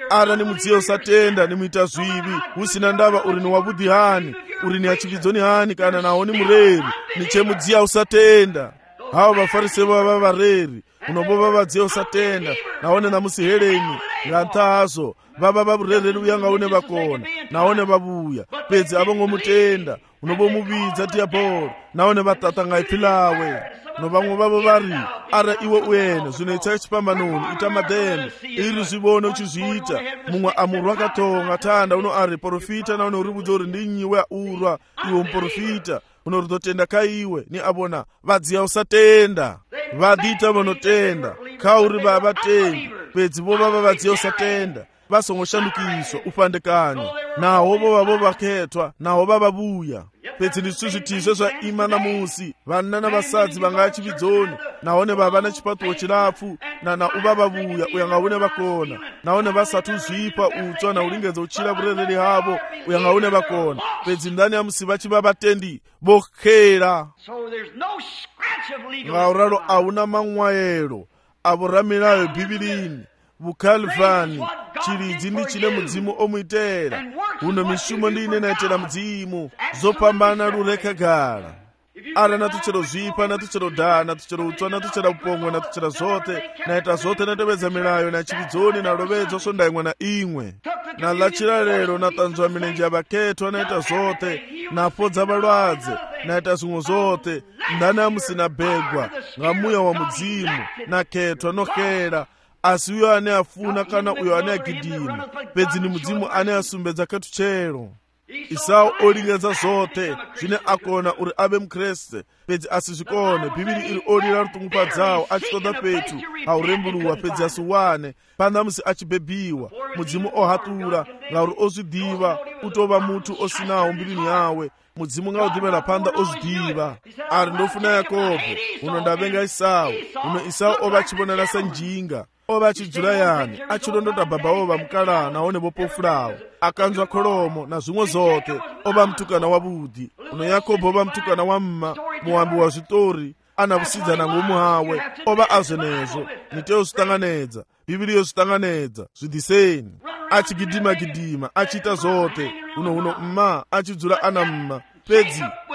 ara ni mudziya usatenda ni muita zvivi usina ndava uri ni wavudhi hani uri ni achividzoni hani kana nawo ni mureri ni chemudziya usatenda havo vafarisi vava vareri unobova vadziya usatenda naone namusiheleni nganthazo vava vavurereri uya ngaune vakona naone vavuya pedzi avongomutenda unovomuvidza dhiyabhoro naone vatata ngaipfilawe no vamwe vavo vari ara iwe uene zvinoita chipambanoni ita madhembe iri zvivone uchizviita mumwe amurwa katonga tanda uno ari porofita naone uri budza uri ndinyiwe urwa iwe muporofita unoritotenda kaiwe ni avona vadziya usatenda vadita vanotenda kauri vavatendi pedzi vova vavadziya usatenda vasongoshandukiswa upandekanyo naho vova vovaketwa naho vavavuya pedzi ndiswi zvitizve zvaima namusi vana navasadzi vangaya chividzoni naone vava nechipatuwo chirapfu nana uvavavuya uya ngaune vakona naone vasati uzvipa utswa nauringedza uchira vurereri havo uya ngaune vakona pedzi ndani yamusi vachiva vatendi vokhera ngauralo auna mamwayelo avoramirayo bhibilini vukalvani chiridzi ndi chine mudzimu omuitera uno mishumo ndiine naitera mudzimu zopambana rurekagara ara natuchero zvipa natuchero dhaa natuchero utswa natuchera upongwe natuchera zote naita zote natevedza milayo na chividzoni nalovedzo sondaimwe na imwe nalachira lero natanzwa milenje yavaketwa naita zote napodza valwadze naita zvimwe zote ndani amusina bhegwa ngamuya wa mudzimu naketwa nokhera asi uyo ane afuna kana uyo ane agidima pedzi ni mudzimu ane asumbedza katuchero Isau olingedza zote zvine akona uri ave mukreste pedzi asizvikone bhibhiri iri olira rutungupa dzawo achitoda petu haurembuluwa pedzi asiwane pana musi achibhebhiwa mudzimu ohatura ngauri ozvidiva utova mutu osinawo mbirini yawe mudzimu ngaudhimera panda ozvidiva ari ndofuna Yakobo uno ndavenga Isau uno Isau ova achivonana senjinga ova achidzura yani achilondota baba ova mukala naone vopofurawo akanzwa kholomo na zvimwe zote ova mtukana wavudi uno Yakobo ova mtukana wa mma muambi wa zvitori ana vusidzana ngomu hawe ova azvenezo niteo zvitanganedza bhibhiri yozvitanganedza zvidhiseni achigidima achita zote uno mma achidzula ana mma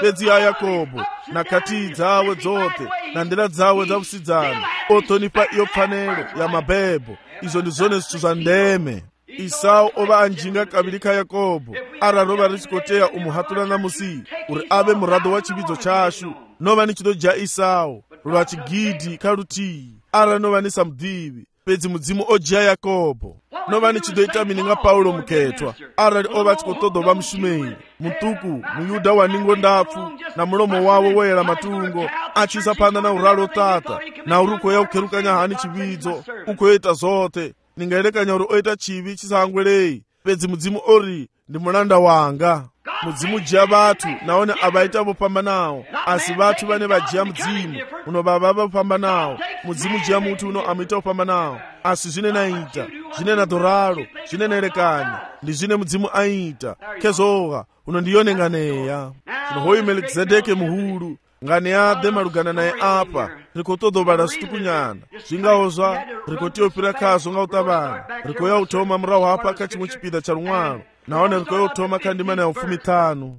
pedzi ya Yakobo na kati dzawe dzote na ndira dzawe dzakusidzana otonipa iyo pfanelo ya mabebo. Izo ndi zone zithu za ndeme. Isau oba anjinga kabiri ka Yakobo araroba richikoteya umuhatula na musi uri abe murado wa chibidzo chashu nova ni chido ja Isau lwa chigidi kaluti ara nova ni samdivi pedzi mudzimu ojia Yakobo nova ni chido itamininga Paulo muketwa ara oba chikotodo ba mshumei mutuku muyuda waningo ndapfu na mulomo wawo wera matungo achisa panda na uralo tata na uruko ya ukerukanya hani chibidzo ukoeta zote ningaelekanya uri oita chivi chisangwerei pedzi mudzimu ori ndi mulanda wanga. Mudzimu jia batu naone abaita vopambanawo asi batu bane bajia mudzimu uno baba vopambanawo. Mudzimu jia mutu uno amita vopambanawo asi zvine naita zvine nadoralo zvine naelekanya ndi zvine mudzimu aita kezoga uno ndiyonenganeya. Zvino hoyi Melkizedeke muhulu ngane yade malugana naye apa rikotodobala situkunyana zvingaozva rikotiyopira kazo ngautabana rikoya utoma murawo hapa kachimwe chipida cha lumwalo naone rikoya utoma kandimana ya 15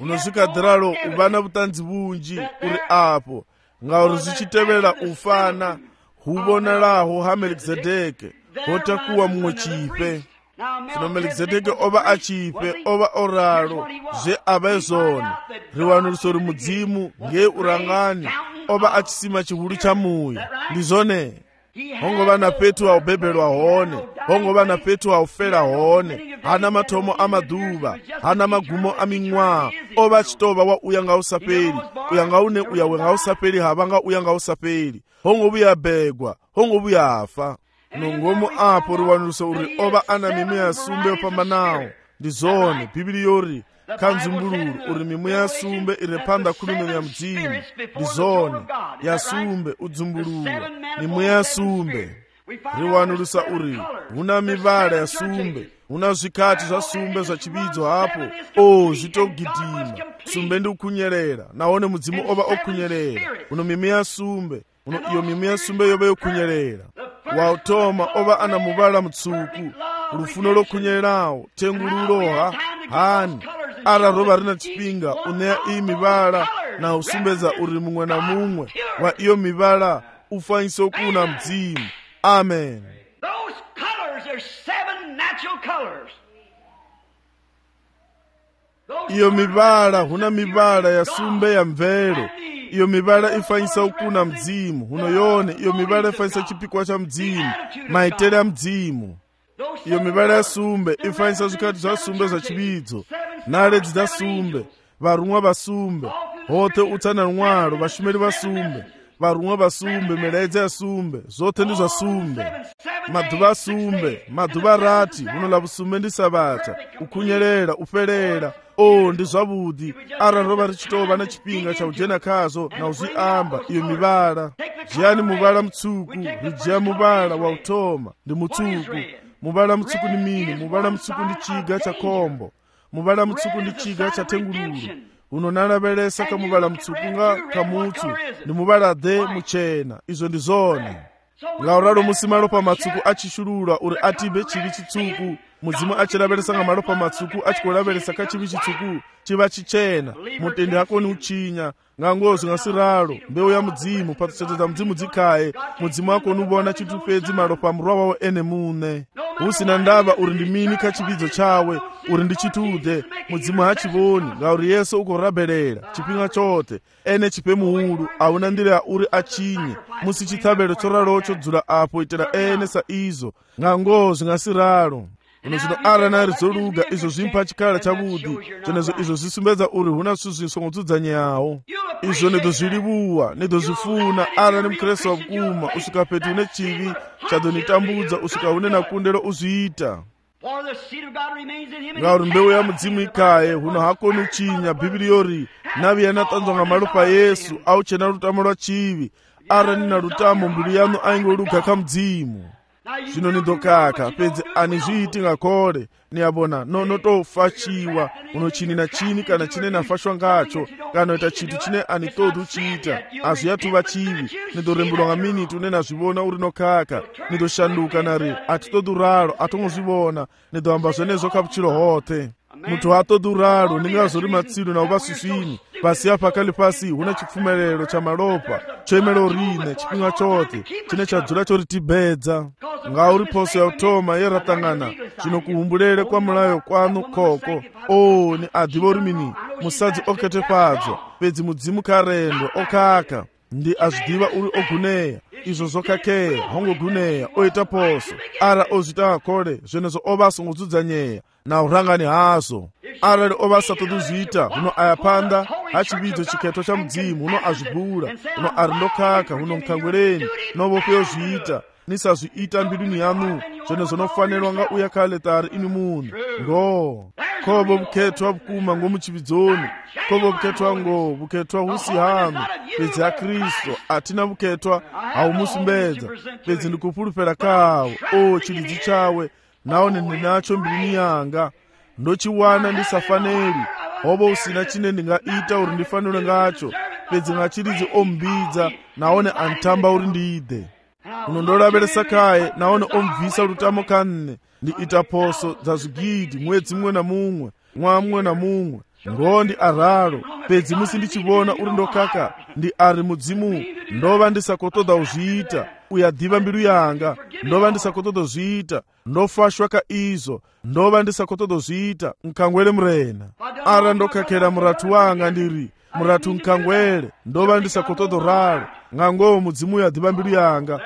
unozvikadhiralo ubana butanzi bunji uri apo ngauri zvichitevera ufana hubonalaho ha Melkizedeke hotakuwa mumwe chife. Zvino Melkizedeke oba achife oba oralo zve abezoni riwanuliso ri mudzimu nge urangani oba achisima chihulu cha muyo ndizone hongova na petu aubebelwa hone hongova na petu aufela hone hana matomo amaduva hana magumo aming'wa oba chitova wa uyanga usapeli uyanga une uyawe ngausapeli havanga uyanga usapeli hongobuya begwa hongobuya afa nongomo apo riwanuliso uri oba ana mimu ya sumbe opambanawo ndizone bibili yori kanzumbululu uri mimu ya sumbe irepanda kulumeni ya mdzimu ndizone ya sumbe udzumbulula mimu ya sumbe riwanulisa uri huna mivala ya sumbe huna zvikati zva sumbe zva chibidzo hapo zvitogidima sumbe ndi ukunyerera naone mudzimu oba okunyerera uno mimu ya sumbe uno iyo mimu ya sumbe yoba yokunyerera wautoma oba ana muvala mutsuku lufuno lokunyererawo tengululoha hani ara roba rina chipinga uneya iyi mivala na usumbeza uri mumwe na mumwe wa iyo mivala ufanyise okuna mdzimu. Amen. Those colors are 7 natural colors. Iyo mivala huna mivala ya sumbe ya mvelo iyo mivala ifanyisa okuna mdzimu huno yone iyo mivala ifanyisa chipikwa cha mdzimu maitere ya mdzimu. Iyo mivala ya sumbe ifanyisa zvikati zva sumbe zva chibidzo naledzi dza sumbe varumwa vasumbe hote utsana lumwalo vashumeli vasumbe varumwa vasumbe melaedza ya sumbe zote ndi zva sumbe madhuva asumbe madhuva rati huno la vusumbe ndi sabata ukunyerera ufelera ndi zvavudi ara rova richitova na chipinga cha ujena kazo na uzviamba iyo mivala jiyani muvala mutsuku rijiya muvala wa utoma ndi mutsuku muvala mutsuku ni mini muvala mutsuku ndi chiga cha kombo muvala mutsuku ndi chiga cha tengululu uno nalavelesa ka muvala mutsuku nga kamutsu ndi muvala de muchena izo ndi zone ngauralo musimalo pa matsuku achishulula uri atibe chili chitsuku mudzimu achilavelesa nga malo pa matsuku achikulavelesa ka chibi chitsuku chiva chichena mutende hako ni uchinya ngangozi ngasiralo mbewu ya mudzimu patseteza mudzimu dzikhaye mudzimu wako nubona chitupedzi malo pa murwa wawo ene mune usina ndava uri ndi mini ka chibidzo chawe uri ndi chitude mudzimu hachivoni ngauri yesu ukorabelera chipinga chote ene chipe muhulu auna ndira ya uri achinye musi chithabelo choralocho dzula apo itera ene sa izo ngangozi ngasiralo uno zvino ara nari zoluga izo zvimpa chikala chavudi chenezo izo zvisumbedza uri huna suzviso ngodzudzaneyawo izvo nedo zvilivuwa nedo zvifuna ara ni mukristu wavukuma usvika petu une chivi chadonitambudza usvika une nakundelo uzviita ngauri mbeu ya mudzimu ikhaye huno hakoni uchinya bhibili yori navi yanatanzwa nga malo pa yesu auchena lutamo lwa chivi ara nina lutamo mbilu yanu ainge oluga ka mudzimu zvino nindokaka pedzi anizviiti ngakore niyabona notofachiwa unochinina chini kana chine nafashwa ngacho kana ita chitu chine anitodhu chiita azviyatuva chivi nindorembulwa ngaminiti unena zvivona uri nokaka nindoshanduka nari atitodhuraro atongozvivona nindohamba zvenezvo kapuchiro hote mutu atodhuraro ningazori matsiru nauvasvisvini pasi apakali pasi huna chipfumerero chamalopa choemero rine chipinga chote chine chadzura choritibedza ngauri poso yautoma yeratangana zvino kuhumbulere kwamulayo kwanu koko ni adhivo rimini musadzi okete padzo pedzi mudzimu karendo okaka ndi azvidiva uri oguneya izvo zokakeya hongoguneya oita poso ara ozvita akore zvenezvo ovasongodzudzanyeya naurangani hazo arali ovasatodhuzvita huno ayapanda hachividzo chiketo cha mudzimu huno azvibhura huno ari ndokaka huno mukangwereni novopeyozviita nisazviita mbiruni yanu zvenezvo nofanirwa nga uya kale tari ini munhu ngo kovo vuketwa vukuma ngomuchividzoni kovo vuketwa ngo vuketwa husi hanu pedzi yakristu atina vuketwa haumusimbedza pedzi ndikupurupera kawo chilidzi chawe naone ndinacho mbiruni yanga ndochiwana ndisafaneri hovo usina chine ndingaita uri ndifanire ngacho pedzi ngachilidzi ombidza naone antamba uri ndiide unondoraveresa kaye naone omubvisa rutamo kanne ndiita poso dzazvigidhi mwedzi mumwe namumwe mwa mumwe namumwe ngondi araro pedzi musi ndichivona uri ndokaka ndi ari mudzimu ndova ndisakotodha uzviita uyadhiva mbiru yanga ndova ndisakotodhozviita ndofashwa kaizvo ndova ndisakotodhozviita nkangwere murena ara ndokakera muratu wanga ndiri muratu nkangwere ndova ndisakotodhoraro ngangowo mudzimu uyadhiva mbiru yanga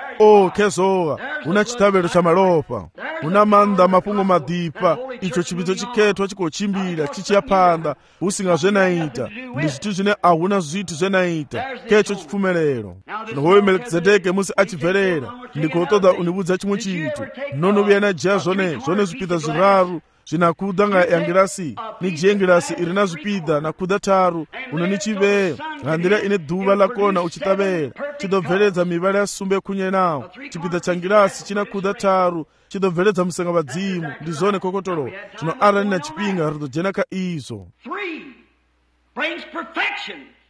kezowa una chitavero chamalopa una manda mapungo madhipa icho chividzo chiketwa chikochimbira chichiyapanda usingazvenaita ndi zvitu zvine ahuna zvitu zvenaita kecho chipfumerero nohoyo melkizedeke musi achibverera ndikotodha unibudza chimwe chitu nonovuya najeya zvone zvipidha zviraru zvinakudha ngayangirasi nijengirasi iri nazvipidha nakudha taru unonichiveye ngandira ine dhuva lakona uchitavera chidobveredza mivara yasumbe kunye nawo chipidha changirasi chinakudha taru chidobveredza musenga vadzimu ndizvone kokotoro zvino arani nachipinga ridojena kaizvo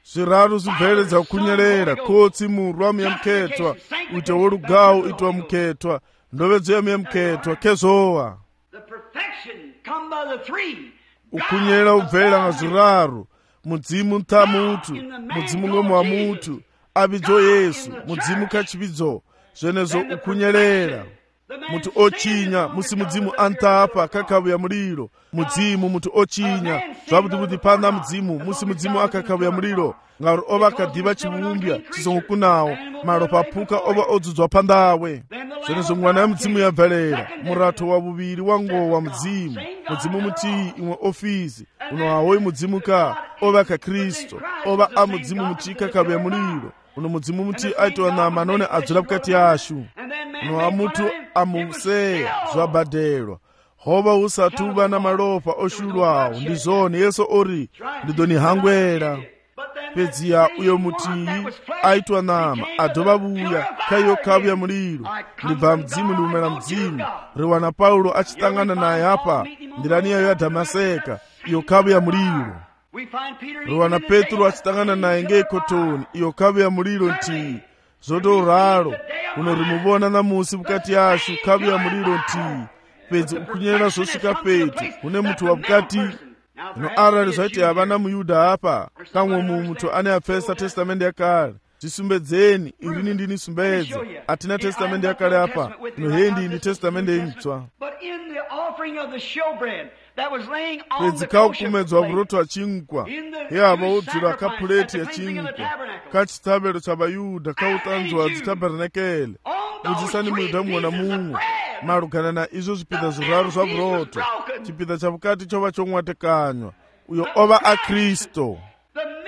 zviraru zvibveredza kukunyerera kotsi murwa muyamuketwa uite worugawu itwa muketwa ndovedzo yamuyamuketwa kezowa ukunyera ubvera ngazviraru mudzimu ntamutu mudzimu ngomwe wa mutu avidzo yesu mudzimu kachividzo zvenezvo ukunyerera mutu ochinya musi mudzimu antapa kakavuya muliro mudzimu mutu ochinya zvavudivudi pana mudzimu musi mudzimu akakavuya muliro ngauri ova akadhiva chivumbya chisongokunawo maropa apuka ova odzudzwa pandawe zvenezvo mwana wemudzimu yabverera murato wavuviri wangowa mudzimu mudzimu mutii imwe ofisi uno hawoyi mudzimu ka ova akakristu ova amudzimu mutii kakavuya muliro uno mudzimu mutii aitwa nama none adzura vukati yashu uno hamutu amuseya zvabhadelwa hova usatuva namalopa oshulwawo ndizvone yesu ori ndidonihangwera pedziya uyo mutii aitwa nama adhovavuya kaiyo kavuya muliro ndibva mudzimu ndiumera mudzimu riwana paulo achitangana naye apa ndiraniyayo yadhamaseka iyo kavuya muliro riwana petro achitangana naye ngeikotoni iyo kavuya muliro ntii zvotoraro uno rimuvona namusi vukati yashu kavuya muliro ntii pedzi ukunyerera zvosvika petu kune mutu wavukati zvino arali zvaiti havana muyudha apa kamwe mutu ane apfesa testamende yakare zvisumbedzeni irini ndini sumbedza hatina testamende yakare apa ino hendi ndi testamende itsva pedzi kaukumedzwa vuroto hwachingwa yehava wodzura kapureti yachingwa kachitavero chavayudha kautanzwa dzitabherenekele budzisani muyudha mumwe namumwe marugana naizvo zvipidha zviraru zvavuroto chipidha chavukati chova chomwatekanywa uyo ova akristu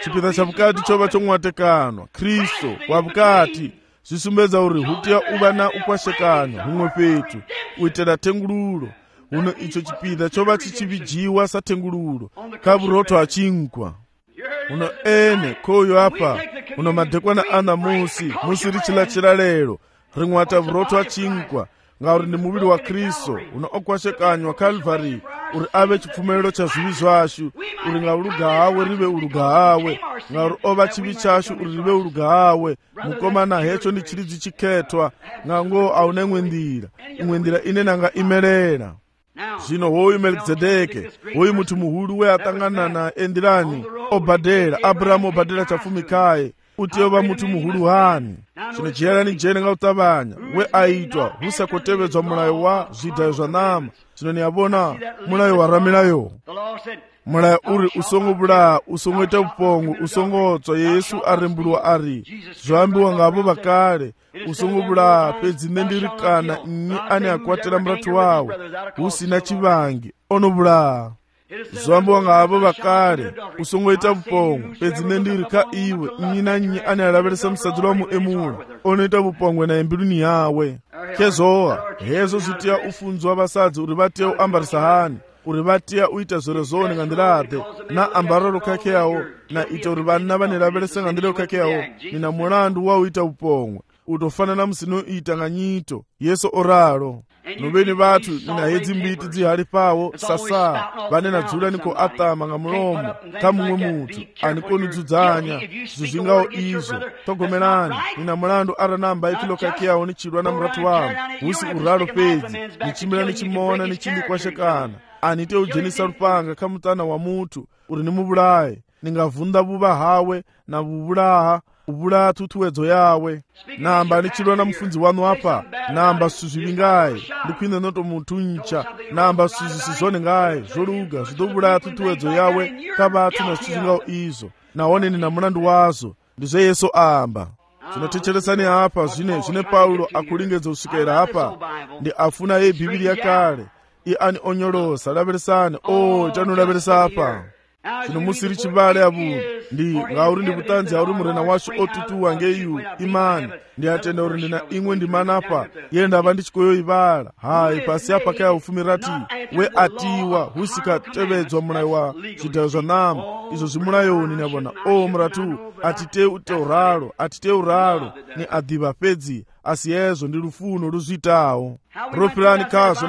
chipidha chavukati chova chomwatekanwa kristu wavukati zvisumbedza uri hutiya uva na ukwashekanywa humwe petu uitera tengururo uno icho chipidha chova chichivijiwa satengururo kavuroto hachingwa uno ene koyo apa uno madhekwana ana musi richilachira lero rimwata vuroto hachingwa ngauri ndi muvhili wa Kristo uno okwashekanywa Calvary uri ave chipfumelelo cha zvivi zvashu, uri nga uluga hawe rive uluga hawe, ngauri ova chivi chashu uri rive uluga hawe. Mukomana hecho ndi chiridzi chikhetwa, ngango aune imwe ndira ine nanga imelela. Zvino hoyu Melkizedeke, hoyu munthu muhulu we atangana na endirani obhadhera, Abrahamu obhadhera chafumikaye, uti ova munthu muhulu hani. Zvino jiyerani jene nga utabanya we aitwa husakotevedzwa mulayo wa zvidhayo zva nama. Zvino niyabona mulayo waramilayo, mulayo uri usongobula, usongoita upongo, usongotswa. Yesu arembulwa ari zvoambiwa ngavo vakale, usongobula pedzi nendirikana nyi ane akwatira muratu wawe usina chivangi onobula. Zvoambiwa ngavo vakale, usongoita upongo pedzi nendirika iwe nyi na nyi ane alaveresa musadziro wa muemula onoita upongwe na embiluni yawe. Kezowa hezo zvitiya ufunzo wa vasadzi uri vatiya uambarisa hani, uri vatiya uita zvorozoni ngandilade na ambararo kakeyawo na ita uri vana vanelaveresa ngandileo kakeyawo nina mulandu wa uita upongwe utofanana musinoita nganyito. Yesu oralo noveni vathu nina hedzi mbiti dzihali pawo sasa vanena dzula niko atama nga mulomo ka mumwe muthu anikoni dzudzanya zvingawo izvo. Togomerani nina mulandu aranamba ikilo kakeyawo ni chidwa na muratu wavo husi uralo pedzi nichimira nichimona nichimbikwashekana anite ujenisa rupanga ka mutana wa muthu uri nimubulaye ningavunda vuva hawe na vuvulaha ubula tutuwedzo yawe. Namba nichidwa na mfunzi wanu apa, namba suzvivingaye ndikwine noto munthu ncha, namba suzisizone ngaye zvoluga zvidobula tutuwedzo yawe kavathu na suzvingawo izo naone nina mulandu wazo. Ndizvo Yesu amba. Tinotecheresani hapa zvine Paulo akulingedza kusvikira hapa ndi afuna ye Biblia kale i ani onyolosa laveresani chanolaveresa apa. Zvino musiri chivale avu ndi ngauri ndi kutanzi auri murena washu otutuwa ngeiyu imani ndi atenda uri ndina imwe ndimanapa yenda ava ndichikoyo ivala hai pasi apa kaya ufumirati we atiwa husikatevedzwa mulayo wa zvidhayo zva nama izvo zvimulayoni navona muratu atite uralo ni adhiva pedzi asi yezvo ndi lufuno luzvitawo. Ropirani kazvo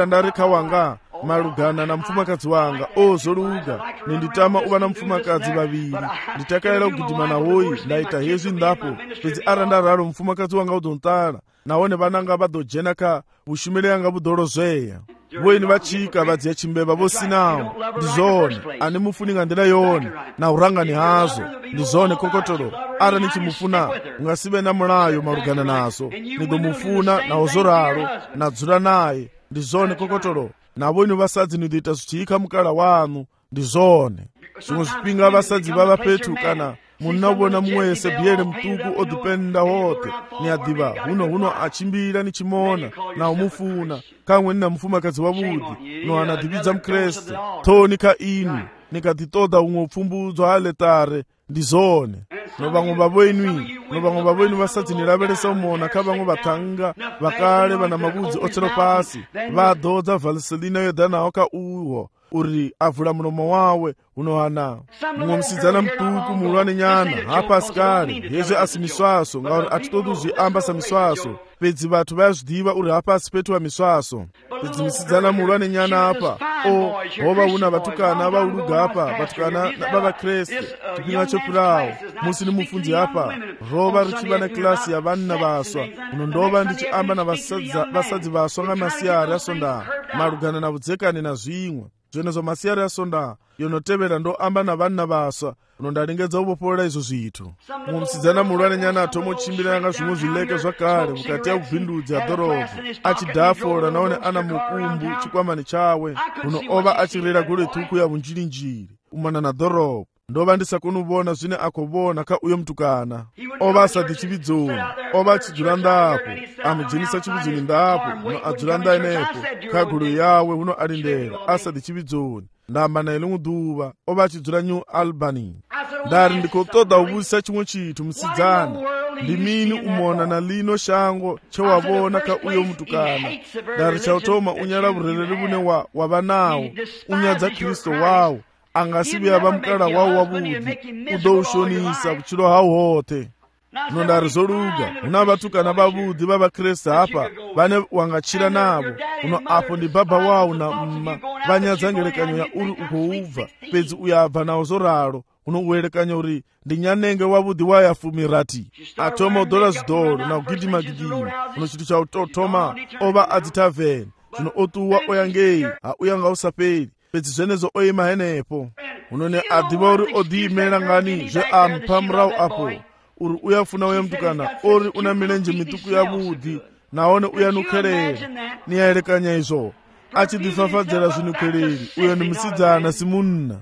ndari kawanga malugana na mfumakadzi wanga zvoluga ninditama uva na mfumakadzi vaviri nditakaela kugidima nawoyi ndaita hezvi ndapo pedzi arandararo mfumakadzi wanga udontala naone vananga vadojena ka vushumile yanga vudolozveya voini vachika vadziya chimbeva vosinawo ndizone ani mufuninga ndila yone na urangani hazo ndizone kokotolo ara nichimufuna ungasive na mulayo malugana nazo nidomufuna na ozoralo nadzula naye ndizone kokotolo navo ni vasadzi nidoita zvichiyika mukala wanu ndizone. Zvimwe zvipinga vasadzi vava petu kana munavona mwese biyele mtuku odipenda hote ni adhiva huno achimbira nichimona na umufuna kamwe nina mfumakadzi wavudi no anadhividza mkreste thonika inu nikatitoda umwe upfumbudzo aletare ndizone. No vamwe vavoinwi vasadzi nilaveresa umona ka vamwe vatanga vakale vana mavudzi otsero pasi vadodza valiselina yodanawo ka uwo uri avula mulomo wawe unohana mumwe musidzana mtuku mulwane nyana hapa asikali hezve asi miswaso ngauri atitodu zviambasa miswaso pedzi vathu vayazvidiva uri hapa asi petu wa miswaso pedzi musidzana mulwane nyana apa hova una vatukana vauluga apa vatukana vavakreste tipinga chopirawo musi ni mufunzi apa rova richiva na klasi ya vanna vaswa unondova ndichiamba na vasadzi vaswa nga masiyari asonda malugana na vudzekani na zvimwe zvenezvo masiyari asonda yonotevera ndoamba na vanna vaswa unondalingedza uvopolela izvo zvithu. Mumwe musidzana mulwane nyana atomochimbira yanga zvimwe zvileke zvakare mukati ya ubvindudzi ya dhorobha achidhafola naone ana mukumbu chikwamani chawe uno ova achirera gole tuku ya vunjirinjiri umana na dhorobha ndova ndisakoni uvona zvine akovona ka uyo mtukana ova asati chividzoni ova achidzula ndapo amujenisa chividzoni ndapo uno adzula ndainepo kagulu yawe uno alindera asati chividzoni ndamba naye limwe duva ova achidzula New Albany. Ndari ndikotoda uvuzisa chimwe chithu musidzana ndimini umona na lino shango chewavona ka uyo mtukana ndari chautoma unyala vurereri vune wavanawo unyadza Kristo wawo angasivi ava mukala wawo wavudi udoushonisa vuchilo hawo hote. unondari zoluga una vatukana vavudzi va vakreste apa vane wangatchira navo uno apo ndi baba wawo na mma vanyadzangelekanyo ya uri ukoubva pedzi uyabva nawo zoralo unowerekanya uri ndi nyanenge wavudzi wayafumirati atoma udola zidolo na kugidima-gidima uno chinthu cha utotoma ova adzitaveni zvino otuwa oyangeyi hauyanga usaperi pedzi zvenezo oyima henepo unone adiva uri odiimera ngani zve ampamurawu apo uri uyafuna uyamtukana ori una milenje mituku yavudzi naone uyanukherera niyayerekanya izvo achidifafadzera zvinukhereri uyo ndi musidzana simunna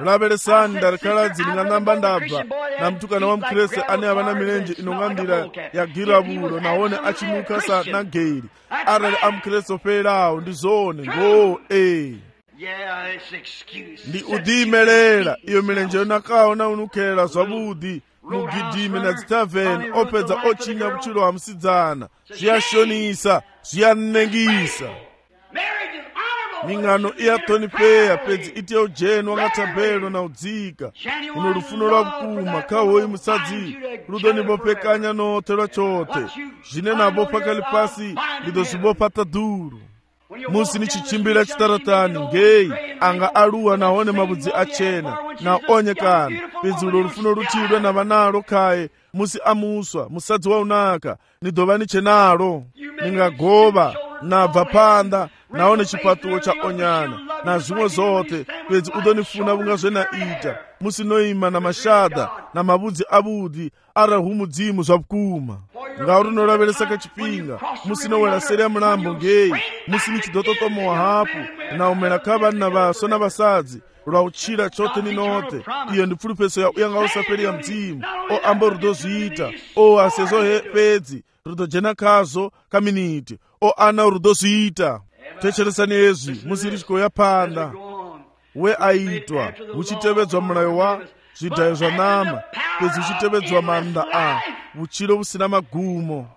laveresani ndarikhaladzi nding'anamba ndabva na mtukana wa mkreste ane avana milenje inong'andira ya giravulo naone achinuka sa nageri arali amkreste operawo ndi zone ngo ndi udiimelela iyo milenje yonakawo na unukhera zvavudzi mugidime na dzitavheni opedza ochinya vuchilo wa musidzana zviyashonisa zviyanengisa ming'ano iyathonipeya pedzi itiya ujeni wangatabelo na udzika uno rufuno lwa vukuma khawoyi musadzi ludonivopekanya nothe lwa chothe zvine navo pakali pasi lidozvivopa taduru musi ni chichimbira chitaratani ngeyi anga aluwa naone mavudzi achena na onyekana pedzi ulo rufuno ruchidwe na vanalo khaye musi amuswa musadzi waunaka nidova nichenalo ningagova nabva panda naone chipatuwo cha onyana na zvimwe zothe pedzi udonifuna vunga zvenaita musi noima na mashadha na mavudzi avudzi arahumudzimu zva vukuma ngauri nolavelesa kachipinga musi nowela seri ya mulambo ngeyi musi ni chidototomowa hapu na umela kha vani na vaswa na vasadzi lwa uchira chothe ni nothe iyo ndi pfulupeso ya uyanga usaperi ya mdzimu o ambo rudozviita o asezo pedzi rudojena khazo kaminiti o ana rudozviita techeresani ezvi musi richikoya panda we aitwa uchitevedzwa mulayo wa zvidhayo zva nama pedzi uchitevedzwa manda a uchilo usina magumo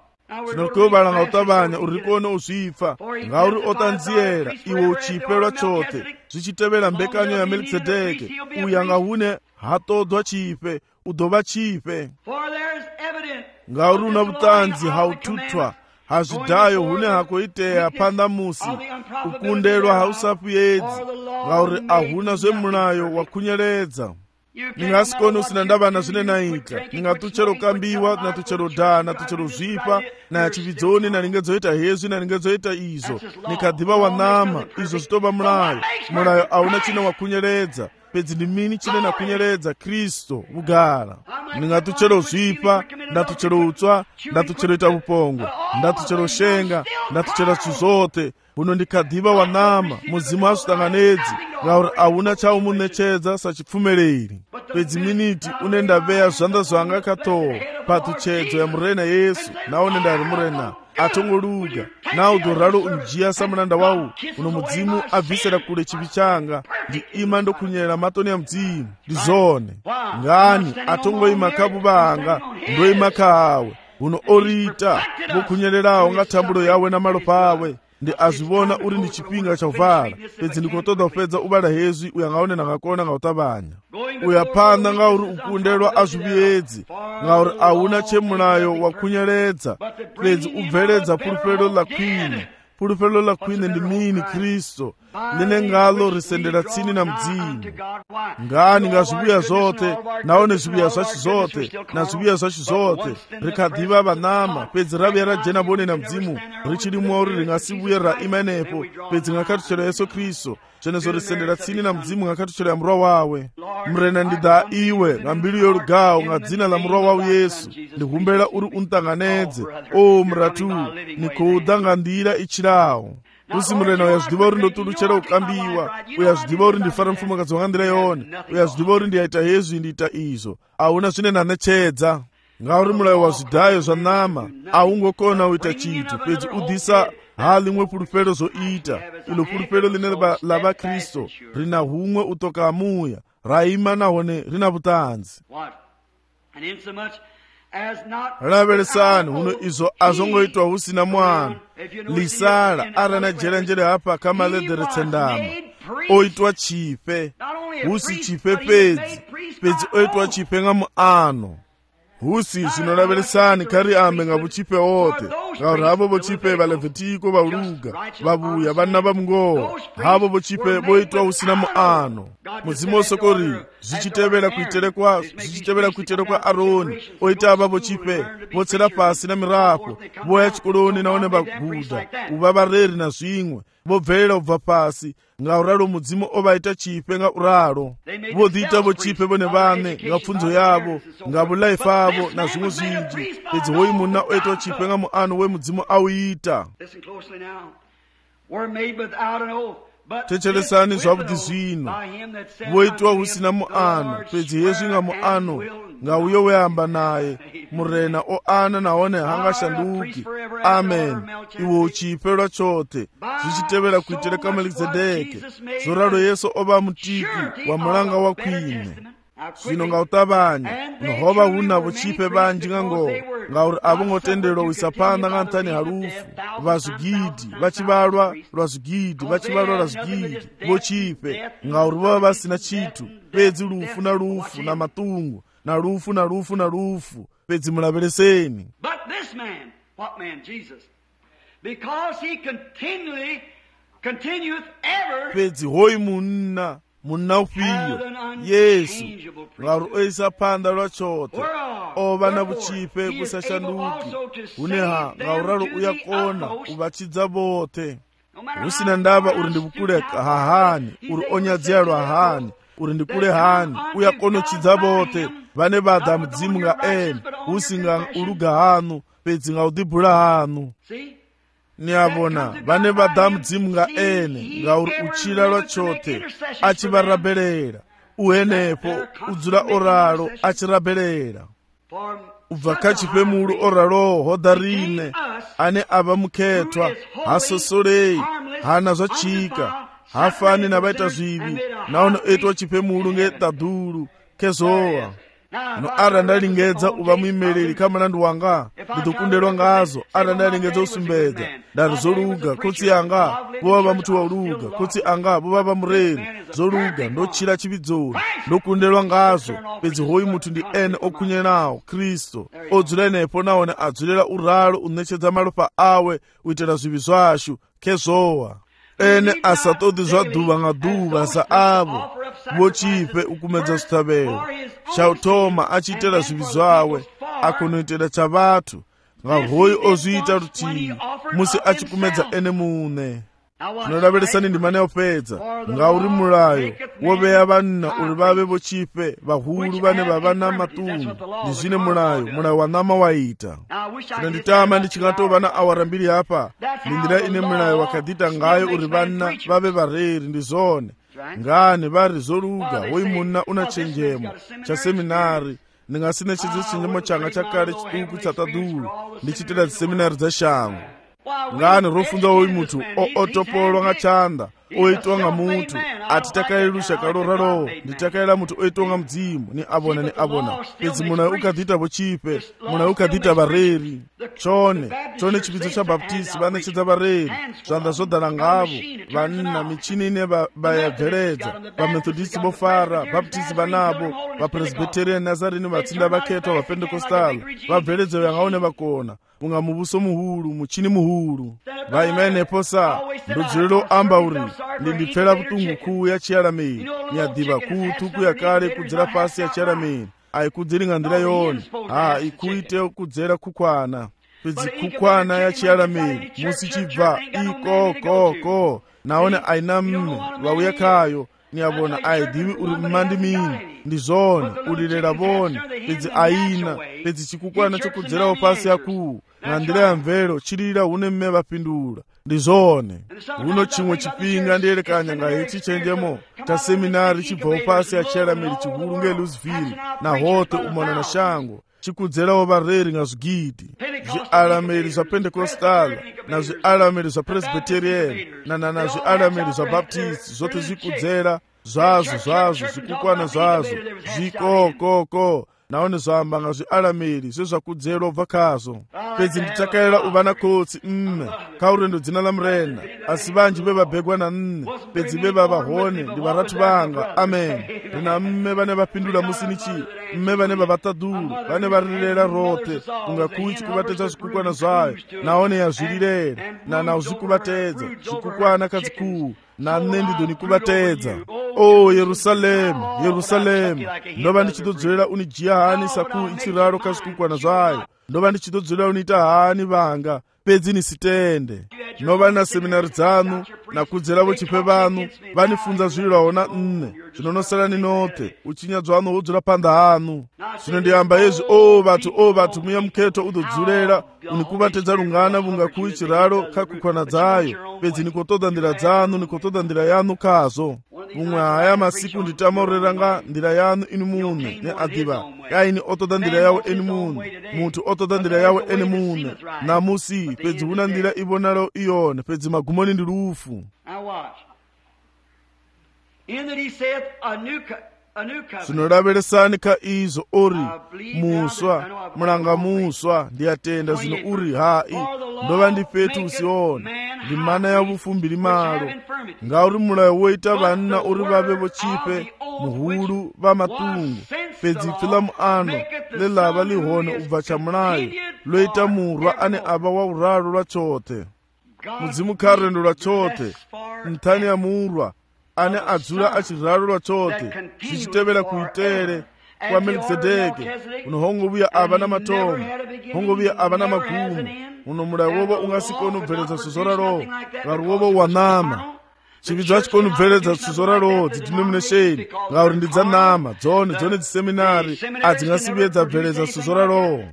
zvinokuvalanga utavanya uri kuone uzvifa ngauri otanziyera iwe uchipelwa chothe zvichitevera mbekanyo ya melkisedeke uyanga hune hatodwa chipe udova chipe ngauri una vutanzi haututwa hazvidhayo hune hakoiteya panda musi ukundelwa hausapuyedzi ngauri ahuna zvemulayo wakunyeredza ningasikoni usina ndavana zvine naita ningatuchero kambiwa natuchero dhaa natuchero zvipa nayachividzoni naningezoita hezvi naningezoita izvo nikadhiva wanama izvo zvitova mulayo mulayo auna chine wakunyeredza pedzi ndi mini chine nakunyeredza kristu vugara ningatuchero zvipa ndatuchero utswa ndatuchero ita vupongo ndatuchero shenga ndatuchera chizothe uno ndikadhiva wanama muzimu asvitanganedzi ngauri auna chaumunechedza sachipfumereri pedzi miniti unendaveya zvanda zvanga katowa patuchedzo ya murena yesu naone ndari murena atongoluga naudoralo unjiya samuranda wawo uno mudzimu abvisira kule chivi changa ndi ima ndokunyera matoni ya mdzimu ndizone ngani atongoima kabuva anga ndoima kawe uno orita vokunyererawo nga tambulo yawe na malopa awe ndi azvivona uri ndi chipinga chauvala pedzi ndikotoda kupedza uvala hezvi uyangaone nangakona ngautavanya uyapanda ngauri ukundelwa azviviyedzi ngauri auna chemulayo wakunyeredza pedzi ubveledza pulupelo la khwine pulupelo la khwine ndi mini kristu line ngalo risendera tsini na mdzimu ngani nga zvibuya zothe naone zvibuya zvachi zothe na zvibuya zvachi zothe rikadhiva vanama pedzi raviya rajena vone na mdzimu richirimwa uri ringasibuye raimanepo pedzi ngakatuchera yesu kristu zvenezo risendera tsini na mdzimu ngakatuchera murwa wawe murena ndidha iwe nga mbilu yorugawo nga dzina la murwa wawo yesu ndihumbela uri untanganedze o muratu nikuudha nga ndira ichirawo usi murena uyazvidiva uri ndotuluchera ukambiwa uyazvidiva uri ndifara mufumakazi wanga ndira yone uyazvidiva uri ndiyaita hezvi ndiita izvo auna zvine nanechedza ngauri mulayo wa zvidhayo zva nama aungokona uita chiti pedzi udhisa halimwe pulupelo zoita ilo pulupelo line lava kristu rina humwe utoka amuya raima nahone rina vutanzi laveresani huno izvo azongoitwa husina mwana lisala arana jerenjere hapa kamaledheretsa ndama oitwa chipe husi chipe pedzi oitwa chipe nga muano husi zvinolaveresani kari ambe nga vuchipe wote ngauri havo vochipe valevhetiko vauluga vavuya vana va mungowa havo vochipe voitwa usina muano muzimu osokori zvichitevera kuitire kwa aroni oita ava vochipe votsera pasi na mirapo voya chikoloni naone vaguda uva vareri na zvimwe vobvelela ubva pasi ngauralo mudzimu ovaita chipe nga uralo vodhiita vochipe vone vane nga pfunzo yavo nga vulaifa avo na zvimwe zvinji pedzi hoyi munna oitwa chipe nga muano wemudzimu auita. Techeresani zvavudi zvino voitwa husina muano pedzi yezvi nga muano nga uyo weamba naye murena oana naone hangashanduki. Amen. Iwo uchipe lwachote zvichitevera kuitire ka Melkizedeki zoralo Yesu ova mutiki wa mulanga wa kwine zvino nga utabanya nohova huna vochipe vanji nga ngo ngauri avo ngotenderwa wisapanda nga ntani harufu vazvigidhi vachivalwa lwazvigidhi vochipe ngauri vova vasina chitu pedzi lufu na lufu na matungu na lufu pedzi mulavereseni. But this man, what man? Jesus. Because he continueth ever pedzi hoyi munna ufiyo Yesu ngauri oisa panda lwachote ova na vuchipe kusashanduki uneha ngauralo uyakona uvachidza vote usina ndava uri ndivukule hahani uri onyadzialwa hahani uri ndikule hani uyakonochidza vote vane vadha mudzimu nga ene usinga uluga hanu pedzi nga udhibhula hanu niavona vane vadha mudzimu nga ene ngauri uchila lwachote achivarabhelela uhenepo udzula oralo achirabhelela ubva kachipe mulu oraloho hodharine ane ava mukhetwa hasosolei hana zvachika hafani na vaita zvivi naone oitwa chipemulu ngetadhulu kezowa no ara ndalingedza uva muimeleli kama nandu wanga nditokundelwa ngazo ara ndalingedza usumbedza ndari zoluga kotsi yanga vova va muti wa uluga kotsi anga vova va mureri zoluga ndochira chividzoni ndokundelwa ngazo pedzi hoyi mutu ndi ene okhunyenawo Kristo odzula enepo naone adzulela uralo unechedza malopa awe uitira zvivi zvashu kezowa ene asatodi zva dhuva nga dhuva sa avo vochipe ukumedza zvitavelo chautoma achiitira zvivi zvawe akunoitira chavatu nga hoyi ozviita rutivi musi achikumedza ene mune. Tinolaveresani ndima neopedza ngauri mulayo woveya vanna uri vave vochipe vahulu vane vava na matungu ndi zvine mulayo wa nama waita. Tino nditama ndichingatova na awara mbiri hapa ndindira ine mulayo wakadhita ngayo uri vanna vave vareri ndi zone ngani vari zoluga woyi munna una chenjemo cha seminari ndingasine chidzo chenjemo changa chakale chituku chatadhulu ndichitira ziseminari dzashango ngani rofunza woyi mutu otopolwa nga chanda oitwa nga mutu atitakayilusha kaloralo nditakayila mutu oitwa nga mdzimu ni abona pedzi muna ukadhita vochipe muna ukadhita vareri chone chipidzo cha baptisi vanechedza vareri zvanda zvodhala ngavo vanna michini ine vayabveredza vamethodisi vofara baptisi vanavo vapresbiterian nazarini vatsinda vakhetwa vapendekostala vabveredza yangaone vakona unga mubuso muhulu muchini muhulu vaimenepo sa ndodzulelo amba uri ndindipfera vutungu kuu ya chiarameri nyadhiva kuu tuku yakale kudzera pasi ya chiarameri aikudziringa ndira yone ikuite kudzera kukwana pedzi kukwana ya chiarameri musi chibva ikokoko naone aina mme vauya kayo niavona aidhivi uri mmandimini ndizone ulilera vone pedzi aina pedzi chikukwana chokudzerawo pasi yakuu nga ndira ya mvelo chilila une mme vapindula ndizone uno chimwe chipinga ndiyelekanya nga ichi chenjemo cha seminari chibvawo pasi ya chiarameri chihulu nge Louisville na hote umona na shango chikudzerawo vareri nga zvigidi zviarameri zva Pentecostal na zviarameri zva Presbyterian na zviarameri zva Baptist zvote zvikudzera zvazvo zvikukwana zvazvo zvikokoko naone zwamba nga zvialameri zvezvakudzera ubva kazvo. Pedzi nditakaira uva na khotsi kha urendo dzina la murenda, asi vanji vevabhegwa na pedzi vevavahone ndi varatu vanga. Amen. Ndina mme vane vapindula musinichi, mme vane vavatadulu, vane varirera rote kungakuchi kuvatedza zvikukwana zvayo, naone yazvirirera na uzvikuvatedza zvikukwana kadzikulu, nane ndidoni kuvatedza. O Yerusalemu, Yerusalemu, ndova ndichidodzorera unijia hani saku ichiraro kazvikukwana zvayo, ndova ndichidodzorera uniita hani vanga, pedzi nisitende. Ndinova na seminari dzanu nakudzera vochipe vanu vanifunza zvirirawo na zvinonosara ninote uchinyadzwa hano wodzura panda hanu. Zvino ndiyamba yezvi, o vatu muya muketo udodzurera unikuvatedza rungana vungakuu chiraro kakukwana dzayo, pedzi nikotoda ndira dzanu, nikotoda ndira yanu kazvo. Mumwe haya masiku nditamaurira nga ndira yanu inu mune neadhiva, kaini otoda ndira yawo eni mune, mutu otoda ndira yawo eni mune, namusi pedzi una ndira ivonaro iyone, pedzi magumoni ndi rufu. Zvinoraveresani kha izo ori muswa, mulanga muswa, ndiyatenda zvino uri hai, ndova ndifetu usione, ndi mana ya vufumbiri malo, ngauri mulayo woita vanna uri vave vochipe, muhulu va matungu, pedzi pfilamu ano, lelava lihone ubva cha mulayo, loita murwa ane ava wa uralo lwa chote. Mudzimu kha rendo lwa chote, nthani ya murwa, ane adzula achiralo lwa chote, zichitevera kuitere kwa Melkizedeki, uno hongovuya ava na matomo, hongovuya ava na magumu, uno mulayo wovo ungasikonu suzora roho, ngauri wovo wanama. Chividzo achikonu bveredza suzora roho dzidenomination, ngauri ndidzanama, dzone dziseminari adzingasivedza bveredza suzora roho.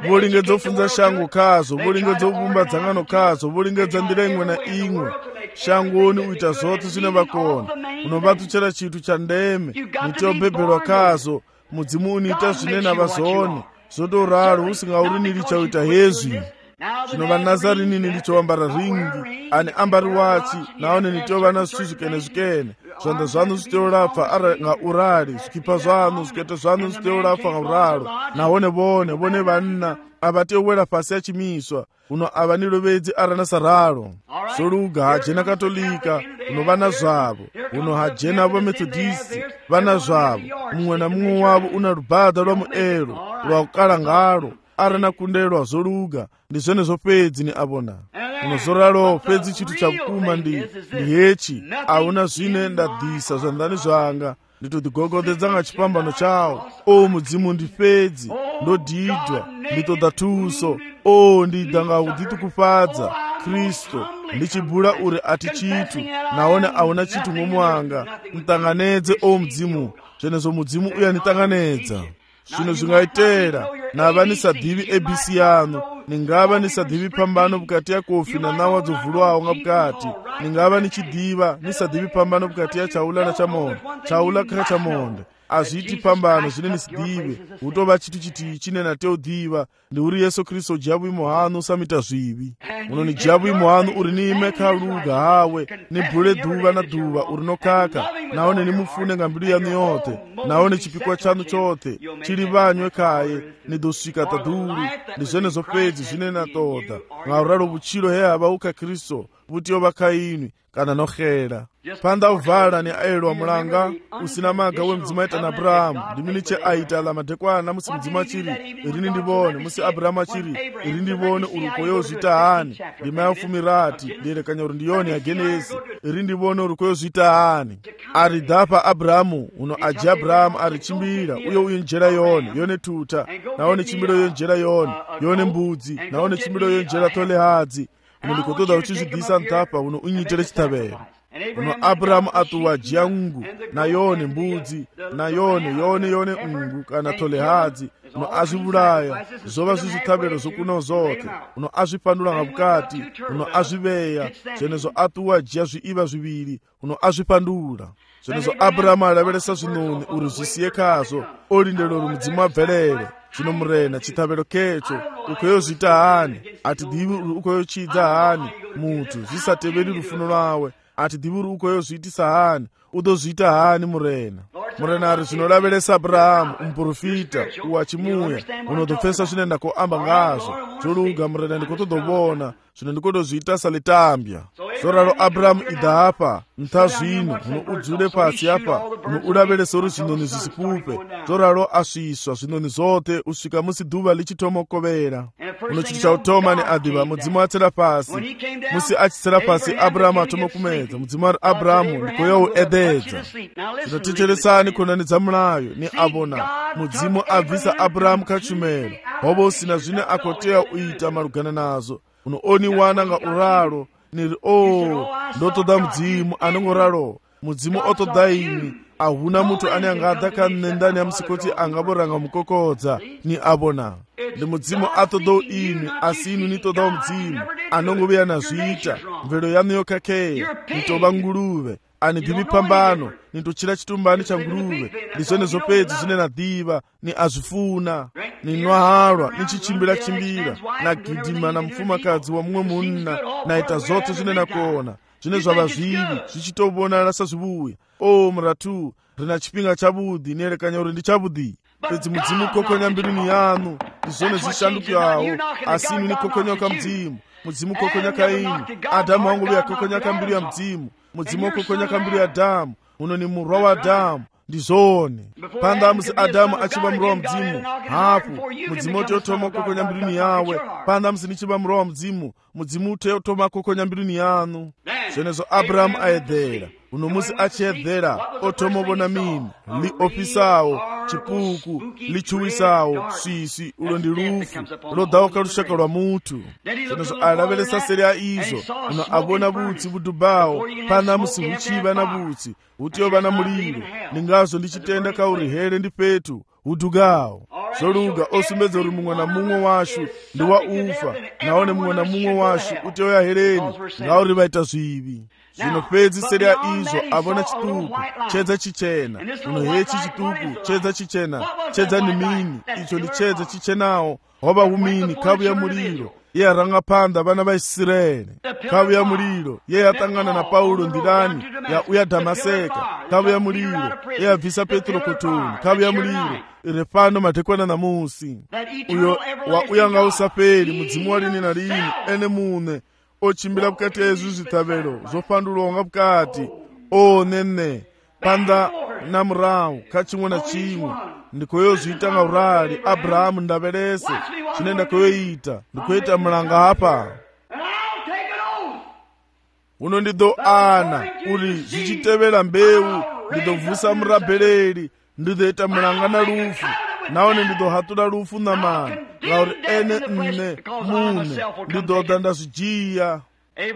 Volingedza kufunza shango kazvo, volingedza kuvumba dzangano kazvo, volingedza ndira imwe na imwe. Shangoni uita zvote zvine vakona, unovatuchera chitu cha ndeme, nitiobhebherwa kazvo, mudzimu uniita zvine navazoni, zvodoraro usingauri chauita hezvi. Zvino vaNazarini ndichowambara ringi, ane ambari wachi, naone nitiova na zvikene, zvanda zvanu zviteorapfa ara nga urari, zvikipa zvanu, zvikete zvanu zviteorapfa nga uraro, naone vone vanna, avatewera pasi achimiswa, uno ava nirovedzi arana sararo. Soluga hajena katolika, uno vana zvavo, uno hajena vamethodisi, vana zvavo, mumwe na mumwe wavo una rubhadha rwa muero, rwakukala ngaro, arana kundelwa zoluga, ndi zvene zvopedzi ni avona. Uno zoralo pedzi chitu cha kukuma ndi hechi, auna zvine ndadhisa zvandani zvanga, nditodzigogodedza nga chipambano chawo. O mudzimu ndi pedzi, ndodhidwa, nditoda tuso, o ndida nga uditukufadza, Kristo, ndichibula uri ati chitu, naone auna chitu mumwanga, mtanganedze o mudzimu, zvenezo mudzimu uyanitanganedza. Zvino zvingaitera, nava nisadivi ABC yanu, ningava nisadivi pambano bukati ya kofi na nawa dzovulwawo nga bukati, ningava nichidiva nisadivi pambano bukati ya chaula na chamonde, chaula kha chamonde. Azviti pambano zvine nisidive, utova chitu chiti chine nateodiva, ndi uri Yesu Kristo jabu imohanu samita zvivi. Uno ni jabu imohanu uri ni ime kaluga hawe, ni bule duva na duva uri no kaka, naone ni mufune nga mbilu yanu yote, naone chipikwa chanu chote, chili vanywe kaye, ni dosika taduru, ni zvene zopedzi zvine natoda, nga uralo buchilo hea bauka Kristo, butiyo bakainwi, kana nokhera. Panda uvala ni aelwa mulanga, usina maga we mdzima ita na Abrahamu, diminiche aita la madekwana musi mdzima chiri, irini ndibone, musi Abrahamu chiri, irini ndibone urukoyo zita hani, lima ya ufumirati, lile kanyoro ndiyoni ya Genesi, irini ndibone urukoyo zita hani. Aridapa Abrahamu, uno aji Abrahamu arichimbira, uyo njera yone tuta, naone chimbiro njera yone mbudzi, naone chimbiro njera tole hadzi, uno likotoda uchizidisa ntapa, uno unyitere chitabere. Uno Abrahamu atuwa jiangu, na yone mbudzi, na yone ungu, kana tole hadzi, uno azivulaya, zova zizitabero zokuno zote, uno azipandula nga bukati, uno aziveya, zenezo atuwa jia zviiva zviviri, uno azipandula. Zenezo Abrahamu alaveresa zvinoni uri zvisiye kazo, olindelo uri mudzimu abvelere, zvino murena chitabero kecho, ukoyo zita hani, ati divi ukoyo chidza hani, mutu, zisateveri rufuno lwawe, ati divuri ukoyo zviitisa hani, udozviita hani murena. murenari zvinolavelesa Abrahamu umuprofita wachimuya unotopfesa zvine ndakoamba ngazvo zvoluga murena ndikotodovona zvino ndikotozviita salitambya zvoralo Abrahamu idha apa ntha zvino uno udzule pasi apa uno ulavelesa uri zvinoni zvisipupe zvoralo asviswa zvinoni zote usvika musi dhuva lichitomokovera uno chiti chautoma ni adhiva mudzimu atsera pasi musi achitsera pasi Abrahamu atomokumedza mudzimu ari Abrahamu ndikoyo ededza zvinotecheresani konanidza mulayo ni avona mudzimu abvisa Abrahamu kachumelo hovo usina zvine akoteya uita malugana nazo unooniwana nga uralo niri ndotoda mudzimu anongoralo mudzimu otoda imi ahuna mutu ane angadha kanendani ya musikoti angaboranga mukokodza ni abona ndi mudzimu atodo imi asi inu nitodawo mudzimu anongoveya nazviita mvelo yanu yokakeya nitova nguluve ani bhibi pambano nintochira chitumbani cha nguluve ndizvone zopedzi zvine nadhiva ni azvifuna ninwahalwa nichichimbira nagidhima na mfumakadzi wa mumwe munna naita zote zvine nakona zvine zvava zvivi zvichitovonana sazvivuya muratu rina chipinga chabudhi nerekanya uri ndichabudhi pedzi mudzimu kokonya mbirini yanu ndizvone zvishandukawo asi inu nikokonyoka mudzimu kokonya kaini Adamu wangoveya kokonyaka mbiru ya mudzimu kokonyaka mbiru ya Adamu uno ni murwa wa Adamu ndizvone pandamusi Adamu achiva murwa wa mudzimu hapo mudzimu ototoma kokonya mbirini yawe pandamusi nichiva murwa wa mudzimu utotoma kokonya mbirini yanu zvenezo Abrahamu aedhera uno musi achiedhera otomovona mini liopisawo chipuku lichuwisawo sisi ulo ndi lufu lodhawuka lushaka lwa mutu zvenezo alavelesa seri ya izo uno avona vutsi vudubawo pana musi huchiva na vutsi hutiyova na muliro ningazo ndichitenda kauri here ndi petu hudugawo zoluga osumbedza uri mumwe na mumwe washu ndi wa ufa naone mumwe na mumwe washu utiyoya hereni ngauri vaita zvivi zvino pedzi seri ya izo avona chituku chedza chichena uno hechi chituku chedza chichena chedza ni mini icho ndi chedza chichenawo hova humini kavu ya muliro ye aranga panda vana va Israeli kavu ya muliro ye yatangana na Paulo ndirani ya uya Damaseka kavu ya muliro ye yabvisa Petro kotoni kavu ya muliro iri pano madekwana namusi uyo wa uya nga usaperi mudzimu walini na lini ene mune ochimbira bukati yezu zitavelo zofandulonga bukati nene panda na murawu kachimwe na chimwe ndikoyo zviitanga urali Abrahamu ndavelese chine ndakoyoita ndikoita mulanga hapa uno ndido ana uri zvichitevera mbeu ndidovhusa murabheleli ndidoita mulanga na lufu naone ndidohatula lufu na mani ngauri ene nne mune ndidoda ndazvijiya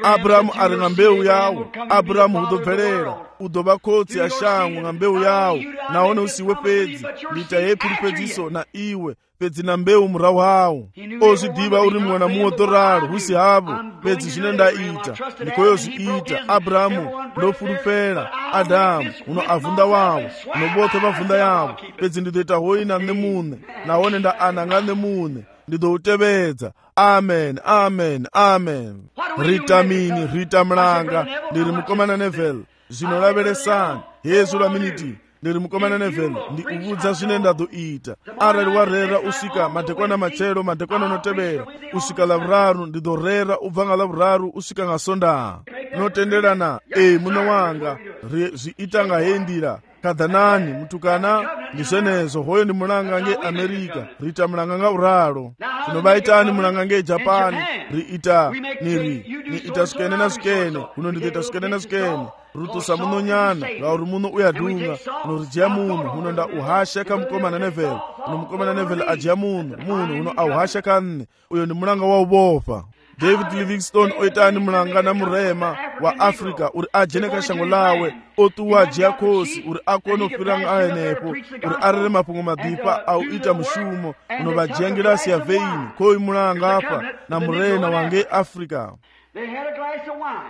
Abrahamu ari nga mbeu yawo Abrahamu hudobvelela udova kotsi ya shangu nga mbeu yawo naone usiwe pedzi ndita yepiri pedziso na iwe pedzi na mbeu murawu hawo ozvidiva uri mwana muodoralo husi havo pedzi zvine ndaita ndikoyo zviita Abrahamu ndofurufera Adamu uno avhunda wawo unobote vavhunda yavo pedzi ndidoita hoina nemune naone ndaananga nemune ndidoutevedza amen amen amen rita mini rita mlanga ndiri mukomana Neville zvinolavelesani yezu la miniti ndiri mukomana Neville ndi uvudza zvine ndadoita arali warera usvika madekwana machero madekwana notevera usvika lavuraru ndidorera ubva nga lavuraru usvika nga sonda notenderana muno wanga zviita nga hendira kadhanani mutukana ndizvenezo hoyo ndi mulanga nge Amerika riita mulanga nga uralo zvinovaitani mulanga nge Japani riita niita swikene na swikene kuno ndizoita swikene na swikene rutusa muno nyana ngauri muno uyadunga uno rijiya munhu uno nda uhasha ka mukomana Neville uno mukomana Neville ajiya munhu uno auhasha kanne uyo ndi mulanga wa ubofa David Livingstone oitani mulanga na murema wa Africa uri ajene ka shango lawe otuwa jiakosi uri akono firanga aenepo uri arere mapungo madipa au ita mushumo uno vajiangira siya veini koi mulanga apa na murena wange Africa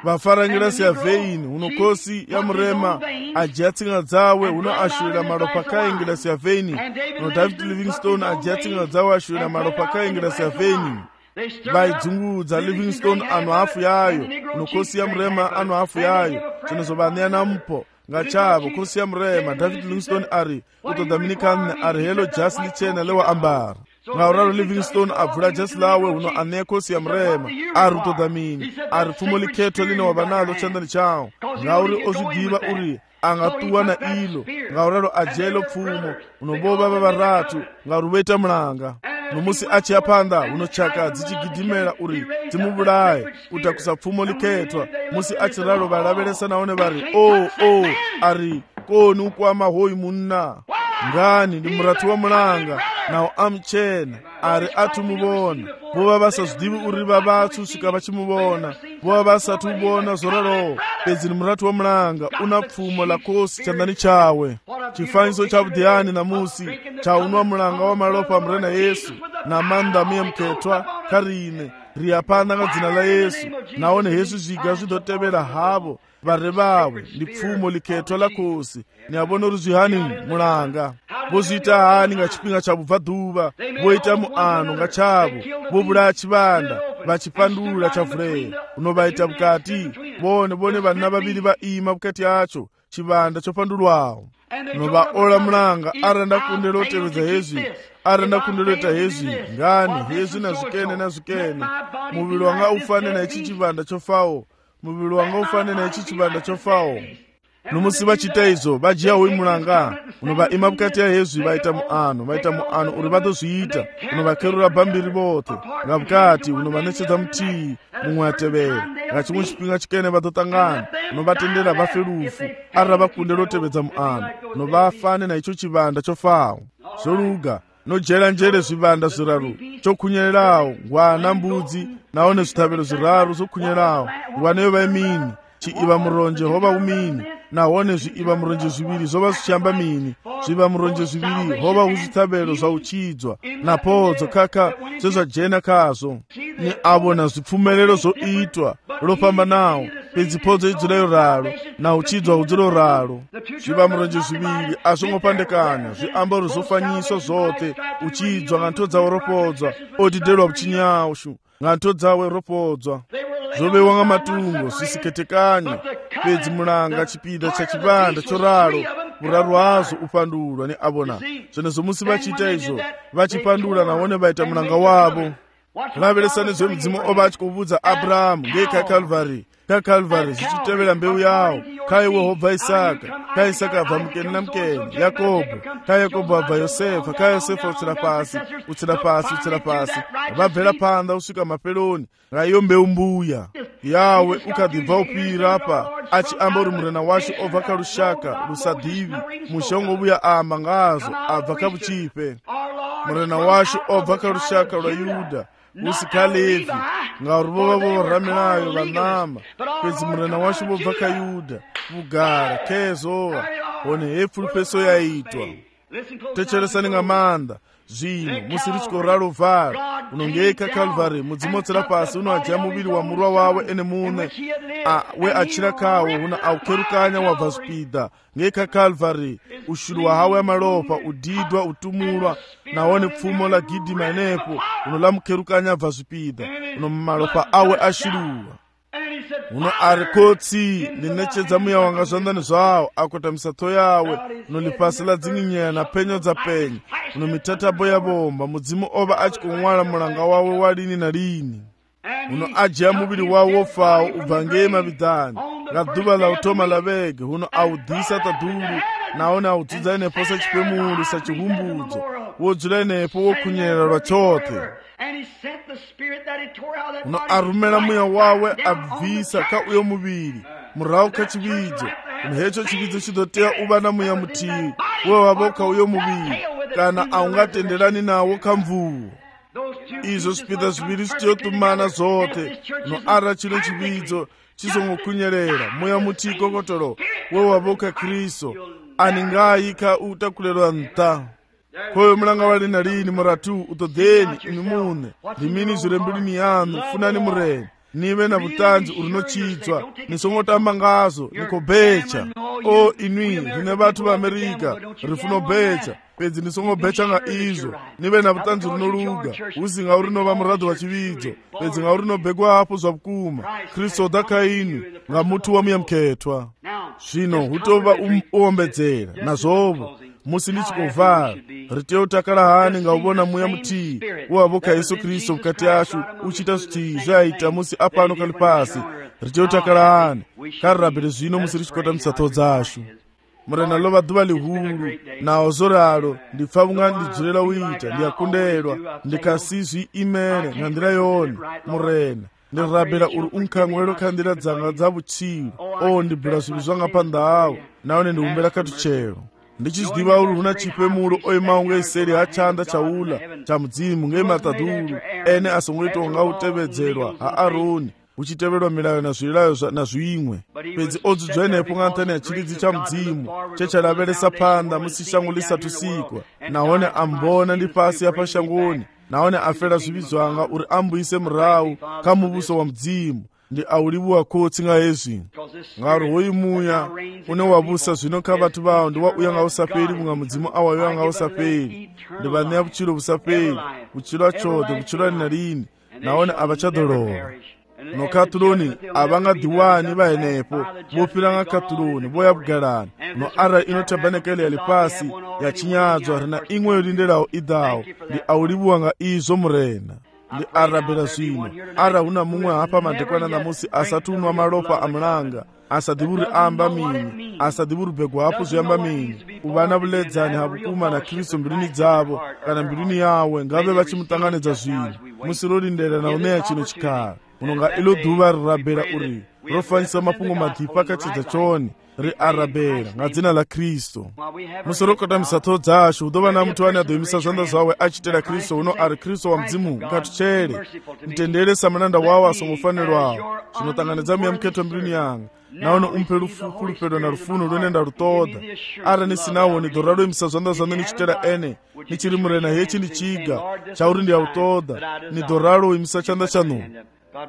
vafarangira siya veini uno kosi ya murema ajiatsinga dzawe uno ashurira malopa kaingira siya veini uno David Livingstone ajiatsinga dzawe ashurira malopa kaingira siya veini vaidzungudza Livingstone ano hafu yayo unokosi ya murema ano hafu yayo chinozovaneya namupo nga chavo khosi ya murema. David Livingstone ari u ṱoḓa mini kha nṋe, ari heḽo jasi ḽitshena ḽe wa ambara. Ngauralo Livingstone a bvula jasi ḽawe huno a ṋea khosi ya murema, ari u ṱoḓa mini, ari pfumo ḽikhetho ḽine wa vha naḽo tshanḓani tshau, ngauri o zwi ḓivha uri a nga ṱuwa na iḽo. Ngauralo a dzhia iḽo pfumo huno vho vha vharathu ngauri vho ita mulanga. No musi a tshi ya phanḓa huno tshaka dzi tshi gidimela uri dzi mu vhulaye u takusa pfumo ḽikhethwa. Musi a tshi ralo vha lavhelesa nahone vha ri o ari koni u kwama hoyu munna, ngani ndi murathu wa mulanga naho a mutshena. Ari a thu muvhona, vho vha vha sa zwiḓivhi uri vha vhathu u swika vha tshi muvhona, vho vha vha sathu vhona zwo raloho. Fhedzi ndi murathu wa mulanga, u na pfumo ḽa khosi tshanḓani tshawe. Tshifanyiso tsha vhuḓiyani ṋamusi tsha unwa mulanga wa malofha a mure na Yesu na maanḓa muya mukhethwa kha riṋe. Ri ya phanḓa nga dzina ḽa Yesu, nahone hezwi zwiga zwi ḓo tevhela havho vhare vhawe. Ndi pfumo ḽikhethwa ḽa khosi. Ni a vhona uri zwi hani mulanga vho zwi ita hani nga tshifhinga tsha vhubvaḓuvha. Vho ita muano nga tshavho, vho vhulaya tshivhanda vha tshipandula tsha vulea. Uno vha ita vhukati vhone vhanna vhavhili vha ima vhukati hatsho tshivhanda tsho pandulwaho. No vha ola mulanga arali nda kundela u tevhedza hezwi, arali nda kundela u ita hezwi, ngani hezwi na zwikene na zwikene. Muvhili wanga u fane na hetshi tshivhanda tsho faho, muvhili wanga u fane na hetshi tshivhanda tsho faho. No musi vha tshi ita izwo vha dzhia hoyu mulanga uno vha ima vhukati ha hezwi vha ita muano uri vha ḓo zwi ita. Uno vha kherula bambiri vhoṱhe nga vhukati, uno vha ṋetshedza muthihi muṅwe a tevhela. Nga tshiṅwe tshifhinga tshikene vha ḓo ṱangana, uno vha tendela vha fe lufu arali vha kundela u tevhedza muano. Uno vha fane na itsho tshivhanda tsho faho. Zwo luga no dzhela nzhele zwivhanda zwiraru tsho khunyelelaho, ngwana, mbudzi nahone zwiṱhavhelo zwiraru zwo khunyelelaho. Ngwana yo vha mini, tshiiva muronje ho vha hu mini, nahone zwiiva muronje zwivhili zwo vha zwi tshi amba mini. Zwiiva muronje zwivhili ho vha hu zwiṱhavhelo zwa u tshidzwa na phodzo khakha zwe zwa dzhena khazwo. Ni a vhona zwipfumelelo zwo itwa lwo fhambanaho, fhedzi phodzo i dzula yo ralo na u tshidzwa hu dzula yo ralo. Zwiiva muronje zwivhili a zwo ngo pandekana, zwi amba uri zwo fanyiswa zwoṱhe. U tshidzwa nga ntho dzawe ro podzwa, o didelwa vhutshini hashu nga ntho dzawe ro podzwa. Zwo vheiwa nga matungo zwi si khethekanyi, fhedzi mulanga tshipiḓa tsha tshivhanda tsho ralo vhuraru hazwo u pandulwa. Ni a vhona zwenezwo musi vha tshi ita izwo vha tshi pandula nahone vha ita mulanga wavho. Lavhelesani zwe mudzimu o vha a tshi khou vhudza Abrahamu ngei kha Calvary. Kha Calvary zwi tshi tevhela mbeu yawo. Kha iwe ho bva Isaka, kha Isaka ha bva Mukeni na Mukeni, Yakobo, kha Yakobo ha bva Yosefa, kha Yosefa u tsela fhasi vha bvela phanḓa u swika mafheloni nga iyo mbeu mbuya yawe. U kha ḓi bva u fhira hafha a tshi amba uri murena washu o bva kha lushaka lu sa ḓivhi, mushongo vhuya amba ngazwo a bva kha vhutshifhe. Murena washu o bva kha lushaka lwa Yuda, hu si kha Levi, ngauri vho vha vho ramilayo vha ṋama. Fhedzi murena washu vho bva kha Yuda, vhugala khezowa hone he pfulufheso ya itwa. Thetshelesani nga maanḓa zwino musi ri tshi khou ralo vala uno ngei kha Calvary. Mudzimu o tsela fhasi uno a dzhia muvhili wa murwa wawe ene muṋe we a tshila khawo, huno a u kherukanya wa bva zwipiḓa ngei kha Calvary. U shuluwa hawe ya malofha, u didwa, u tumulwa, nahone pfumo ḽa gidima henefho uno ḽa mukherukanya a bva zwipiḓa. Uno malofha awe a shuluwa. Uno a ri khotsi ndi ṋetshedza muya wanga zwanḓani zwawo, a kotamisa ṱho yawe. Uno ḽifhasi ḽa dzinginyela na phenyo dza penya, uno mithathabo ya bomba. Mudzimu o vha a tshi khou ṅwala mulanga wawe wa lini na lini. Uno a dzhia muvhili wawe wo faho u bva ngei mavhiḓani nga ḓuvha ḽa u thoma ḽa vhege. Huno a u ḓisa ṱaḓulu nahone a u dzudza henefho sa tshipemulu, sa tshihumbudzo. Wo dzula henefho wo khunyelela lwa tshoṱhe. Uno a rumela muya wawe a bvisa kha uyo muvhili murahu kha tshivhidzo. Uno hetsho tshivhidzo tshi ḓo tea u vha na muya muthihi we wavha kha uyo muvhili, kana a u nga tendelani nawo kha mvuwo. Izwo zwipiḓa zwivhili zwi tea u ṱumana zwoṱhe. No ara tshino tshivhidzo tshi songo khunyelela, muya muthihi kokotolo we wavha kha Kristo ani ngai kha u takulelwa nṱha. Khoyo mulanga wa lini na lini murathu u ṱoḓeni ini muṋe. Ndi mini zwi re mbiluni yaṋu? Funani murena. nive na vutanzi uri nochidzwa nisongotamba ngazo nikobecha. O inwi rine vathu va Amerika rifuna ubecha pedzi nisongobecha nga izvo nive na vutanzi rinoluga usi nga uri nova murado wa chividzo pedzi nga uri nobekwa hapo zva vukuma. Kristu oda kainwi nga mutu wa muyamukhetwa. Zvino hutova uombedzera nazvovo musi ndichikovhara riteye utakala hani nga uvona muya mutii wavoka Yesu Kristu mukati ashu uchita zvitii zvaita musi apano kali pasi riteye utakala hani karirabhire zvino musi richikwata tsono dzashu. Murena lova dhuva lihuru nawo zoralo ndipfavunga ndidzorera uita ndiyakundelwa ndikasizvi imene nga ndira yoni murena ndirabhira uri unkhangwelo kha ndira dzanga dza vutsilu. O ndibhira zvinhu zvanga pandawo naone ndiumbera katuchero ndichizvidiva uri huna chipemulo oimawo ngeiseri hachanda chaula cha mudzimu ngematadhuru ene asongoitonga utevedzerwa haaroni uchiteverwa milayo na zvilayo na zvimwe pedzi odzudzwa nepo ng'antani ya chilidzi cha mudzimu chechalaveresa panda musi shango lisatusikwa naone ambona ndi pasi apa shangoni naone afera zvivizwanga uri ambuise murau kamuvuso wa mudzimu ndi aulivuwa kotsi nga hezvi ngaro hoyu muya une wavusa zvino kha vathu vawo ndi wa uya nga usaperi kunga mudzimu awayo nga usaperi ndi vaneya vuchilo vusaperi vuchilo achodhe vuchilo ani na lini naone avachadolowa nokatuloni avanga diwani vaenepo vopilanga katuloni voya vugalani no ara ino tabanekele yali pasi ya chinyadzwa rina imwe yolindelawo idawo ndi aulivuwa nga izo murena ndi arabela zvino ara huna mumwe hapa madekwana namusi asatunwa malopa amulanga asadhivuri amba mini asadhivuri begwa hapo zoyamba mini uvana vuledzani havukuma na Kristu mbiluni dzavo kana mbiluni yawe ngave vachimutanganidza zvino musi lolindela na uneya chino chikhala unonga ilo dhuva rirabhera uri rofanyisa mapungo madhipa kachidza choni ri arabhera nga dzina la Kristu. Musorokota misatho dzashu udova na mutu wani adoimisa zvanda zvawe achitera Kristu uno ari Kristu wa mdzimu ngatuchere mtendere samananda wawo asongofanirwawo zvinotanganidza muyamukhetwa mbiluni yanga naone umpe lufukulupedwa na rufuno lunenda rutoda ara nisinawo ni doralo imisa zvanda zvano nichitera ene nichiri murena hechi nichiga chauri ndiyautoda ni doralo imisa chanda chanu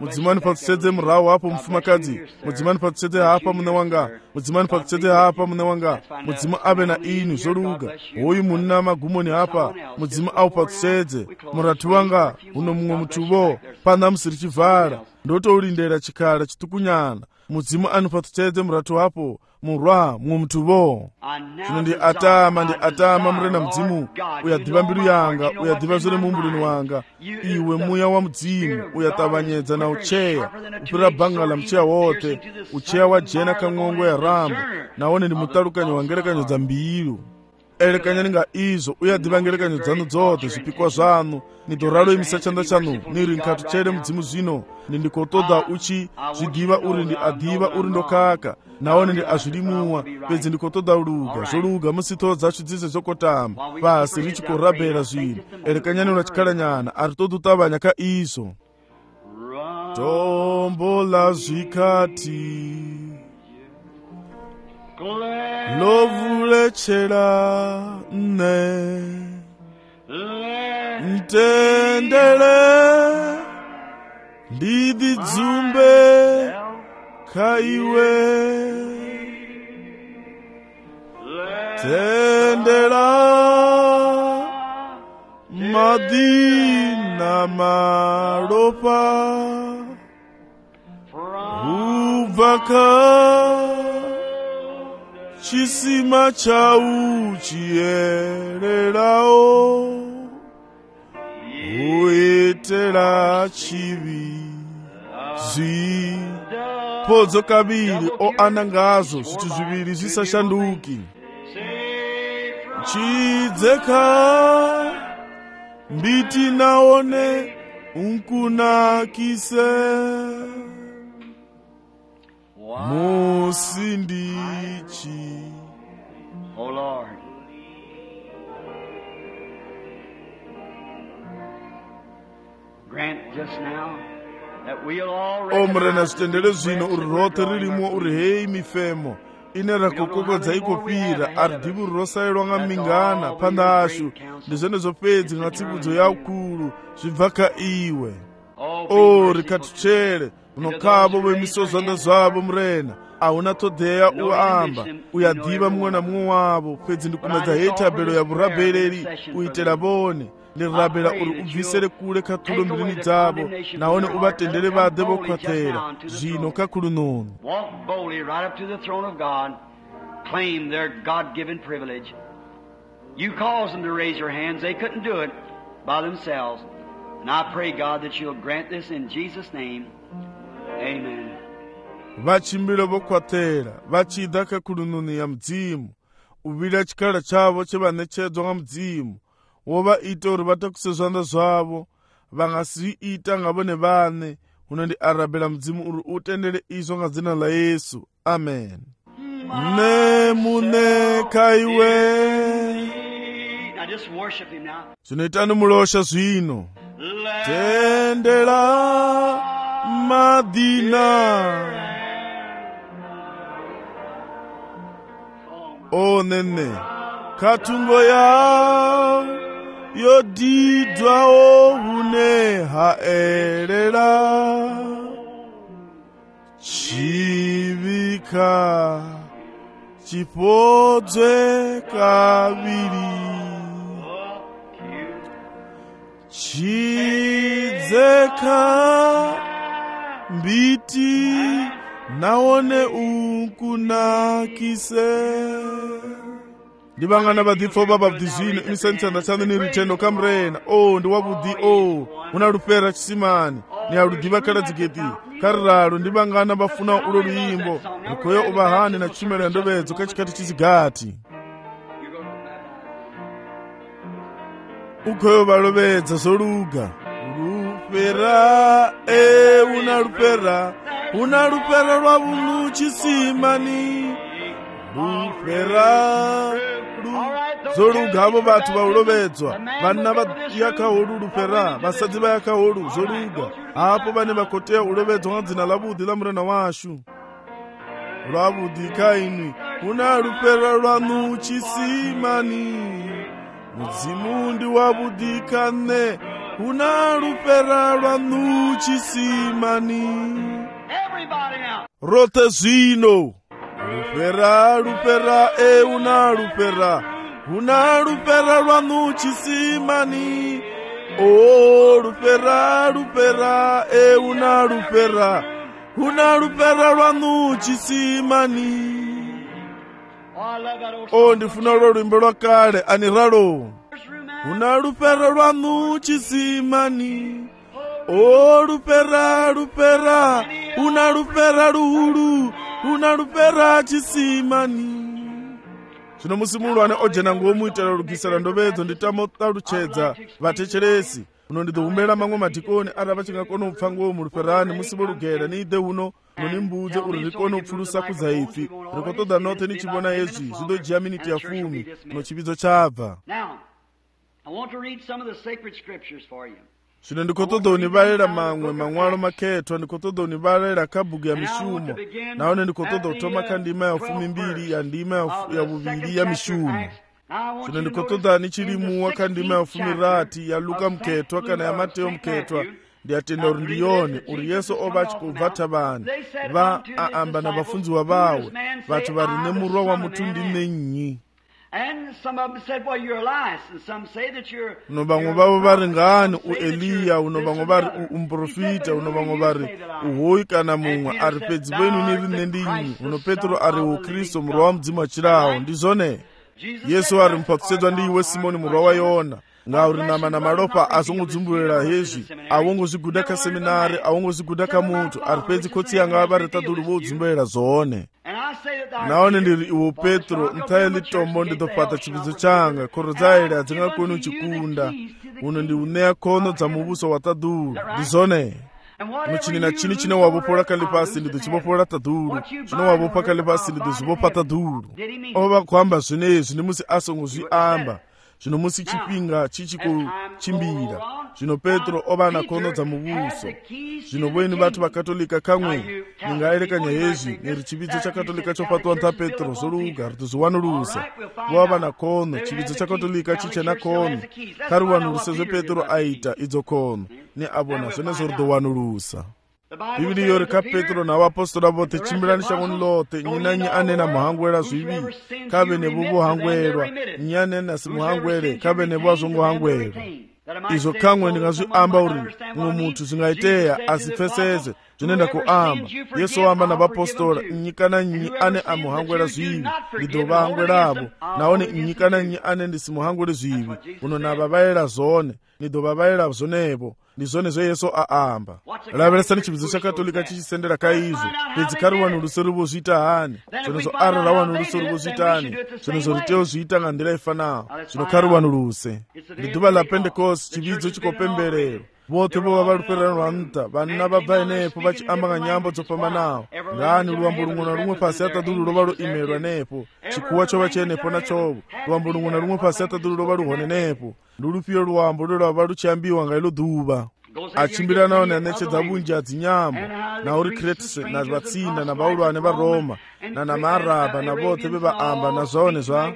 mudzimani patsetedze murawo hapo mufumakadzi mudzimani patsetedze hapa mune wanga mudzimani patsetedze hapa mune wanga mudzimu ave na inu zvoluga hoyu munina magumoni hapa mudzimu au patsetedze murati wanga uno mumwe mutuvo panda musiri chivhara ndotoulindera chikhala chitukunyana mudzimu anopatsetedze murati wapo murwa mumwe mutuvo. Zvino ndi atama murena mudzimu uyadhiva mbilu yanga uyadhiva zviri mumbulini wanga iwe muya wa mudzimu uyatavanyedza na ucheya upira bhanga la mcheya wote ucheya wa jena kang'ongo ya rambo naone ndi mutalukanyo wa ngerekanyo dza mbilu elekanyani nga izo uyadhiva ngerekanyo dzanu dzote zvipikwa zvanu ni doralo imisa chanda chanu niri nkhatu chere mudzimu zvino ndikotoda uchi zvidhiva uri ndi adhiva uri ndokaka naone ndi azvilimuwa pedzi ndikotoda uluga zvoluga musitho dzachu dzise zokotama pasi richikorabhera zvino elekanyani unachikhalanyana ari todo utavanya ka izo tombo la zvikati lovulechera ne ntendele ndidi dzumbe kaiwe tendela madina malopa uvaka chisima chau chiererao uitela chivi zvi podzo kaviri o anangazo zvithu zviviri zvisashanduki chidzeka mbiti naone unkunakise musindichi. Oh Lord, grant just now that we'll all omrena zvitendere zvino uri rote ririmo uri hei mifemo ine rakokokodza ikopira ari dhivu rosayirwa nga mingana panda ashu ndizvene zvopedzi nga tsibudzo yaukuru zvibva ka iwe o rikatuchere unokhabo bwemisozwanda zwabo mrena ahuna thodea uamba uyadhiva mumwe na mumwe wavo fedzi ndikumedza hethabelo ya vurabeleri uitela vone ndirabela uri ubvisere kule khathulo mbilini dzavo nahone uvatendere vade vokhwathela zvino kakhulu nono. Walk boldly right up to the throne of God. Claim their God-given privilege. You caused them to raise their hands. They couldn't do it by themselves. And I pray, God, that you'll grant this in Jesus' name. Amen. vachimbilo vokhwathela vachida kakhulu nono ya mdzimu uvila chikhala chavo chevanetshedzwa nga mdzimu wova ita uri vatakusezwanda zvavo vangasiita nga vone vane. Unondi arabela mdzimu uri utendele izvo nga dzina la Yesu. Amen. Nemune kaiwe. Now just worship him now. Zvinoitani mulosha zvino. Tendela madina. O nene katungo ya yodidwa ohune haelela chivika chipodzwe kaviri chidzeka mbiti naone unkunakise. Ndivangana vadhipfo vabhabhidhizvino imisanditsanda tsanda niritendo kamrena ndiwabudhi unarupera chisimani niarudhiva kaladziketi kariralo ndivangana vafuna ulo luimbo rikoyo uvahani na chimela ndovedzo kachikati chizigati ukoyo valovedza zoluga rupera unarupera lwa vunu chisimani rupera zolugavo vatu vaulovedzwa vana vayakaholu rupera vasadzi vayakaholu zoluga apo vane vakoteya ulovedzwa nga dzina lavudhi la murena washu lwavudhi kaini una rupera lwanu chisimani mudzimu ndi wavudhi kane una rupera lwanu chisimani rote zvino rupera una rupera lwanu chisimani rupera una rupera lwanu chisimani. Ndifuna ulo lwimbo lwakale aniralo una rupera lwanu chisimani rupera una rupera luhulu una rupera chisimani. Zvino musi mulwane ojena ngomuitela lugisela ndovedzo nditamotalutshedza vatecheresi uno ndidzohumbela mamwe madhikoni ara vachingakona upfa ngomu ruperani musi volugera niide uno nonimbudze uri rikone upfulusa kuzaifi rikotoda note nichivona yezvi zvidojiya miniti ya 10 uno chividzo chabva. Zvino ndikotoda univalela mamwe mang'walo makethwa ndikotoda univalela kabhuku ya mishumo naone ndikotoda utoma kandima ya 12 ya ndima ya vuvili ya mishumo. Zvino ndikotoda nichilimuwa kandima ya 10 ya Luka mkethwa kana ya Mateo mkethwa ndiyatenda uri ndiyone uri Yesu ova achikubvata vanhu va aamba na vafundziwa vawe vati vari nemurwa wa mutundi nenyi. Uno vamwe vavo vari ngani uEliya uno vamwe vari umprofita uno vamwe vari uhoyi kana mumwe ari pedzi venyu niri nendinyi uno Petro ari uKristu murwa wa mudzimu achirawo ndizvone. Yesu ari mupakusedzwa ndiiwe Simoni murwa wa Yona ngauri nama na malopa azongodzumbulela hezvi awongozviguda kaseminari awongozviguda kamuntu ari pedzi kotsi yanga vari tadulu vodzumbulela zvone. Naone ndiri iwo Petro ntaye tombo ndidopata chividzo changa khoro dzaile adzingakoni uchikunda uno ndi uneya khono dza muvuso wa tadulu ndizvone. Muchini na chini chine wavopola kale pasi ndidochivopola tadulu chino wavopa kale pasi ndidozvivopa tadulu. Ova kuamba zvinezvi ndimusi asongozviamba zvino musi chipinga chichikuchimbira zvino Petro ova na khono dza muvuso zvino voini vatu vakatolika kamwe ningaerekanya hezvi neri chividzo chakatolika chopatwa nta Petro zoluga ritozviwanulusa vova na khono chividzo chakatolika chichena khono kariwanuluse zve Petro aita idzo khono ne avona zvenezvo ridowanulusa. bibili yori ka petro na vaapostoli vote chimbirani shangoni lote nyina nyi anena muhangwela zvivi kave nevo vohangwelwa nyi anena simuhangwele kave nevo azongohangwelwa. Izvo kamwe ndingazviamba uri mumwe munthu zvingaiteya asipfesese zvinoenda kuamba. Yesu wamba navapostora nyika na nyi ane amuhangwela zvivi ndidovahangwelavo naone nyika na nyi ane ndisimuhangwele zvivi uno navavaela zone ndidovavaela zonevo. Ndi zvone zvo Yesu aamba. Laveresani chividzo chakatolika chichisendera kaizvo pedzi kari vanhu ruso rivozviita hani zvino zvo arara vanhu ruso rivozviita hani zvino zvo riteo zviita nga ndira ifanawo zvino kari vanhu ruse. Ndi dhuva la Pentecost chividzo chikopemberero vote vova valuperano vanta vanna vabva inepo vachiamba nga nyambo dzopambanawo ngani luambo lumwe na lumwe pasi atadulu lova loimelwa nepo chikuwa chova chenepo nachovo luambo lumwe na lumwe pasi atadulu lova luhone nepo ndulupiyo luambo lolava luchiambiwa nga ilo dhuva achimbira nawo nanetsedza vunji adzinyambo nauri Kretse na vatsinda na vaulwane varoma na namaraba na vote vevaamba na zvone zva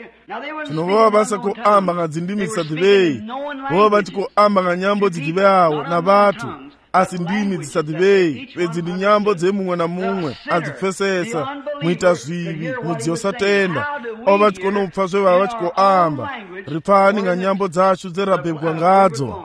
zvino vova vasa kuamba nga dzindimi dzisadivei vova vati kuamba nga nyambo dzidiveawo na vatu asi ndimi dzisadivei pedzi ndi nyambo dzemumwe na mumwe adzipfesesa muita zvivi mudziyo satenda ova vati konopfa zvevava vachikuamba ripani nga nyambo dzacho dzerabhebwa ngadzo.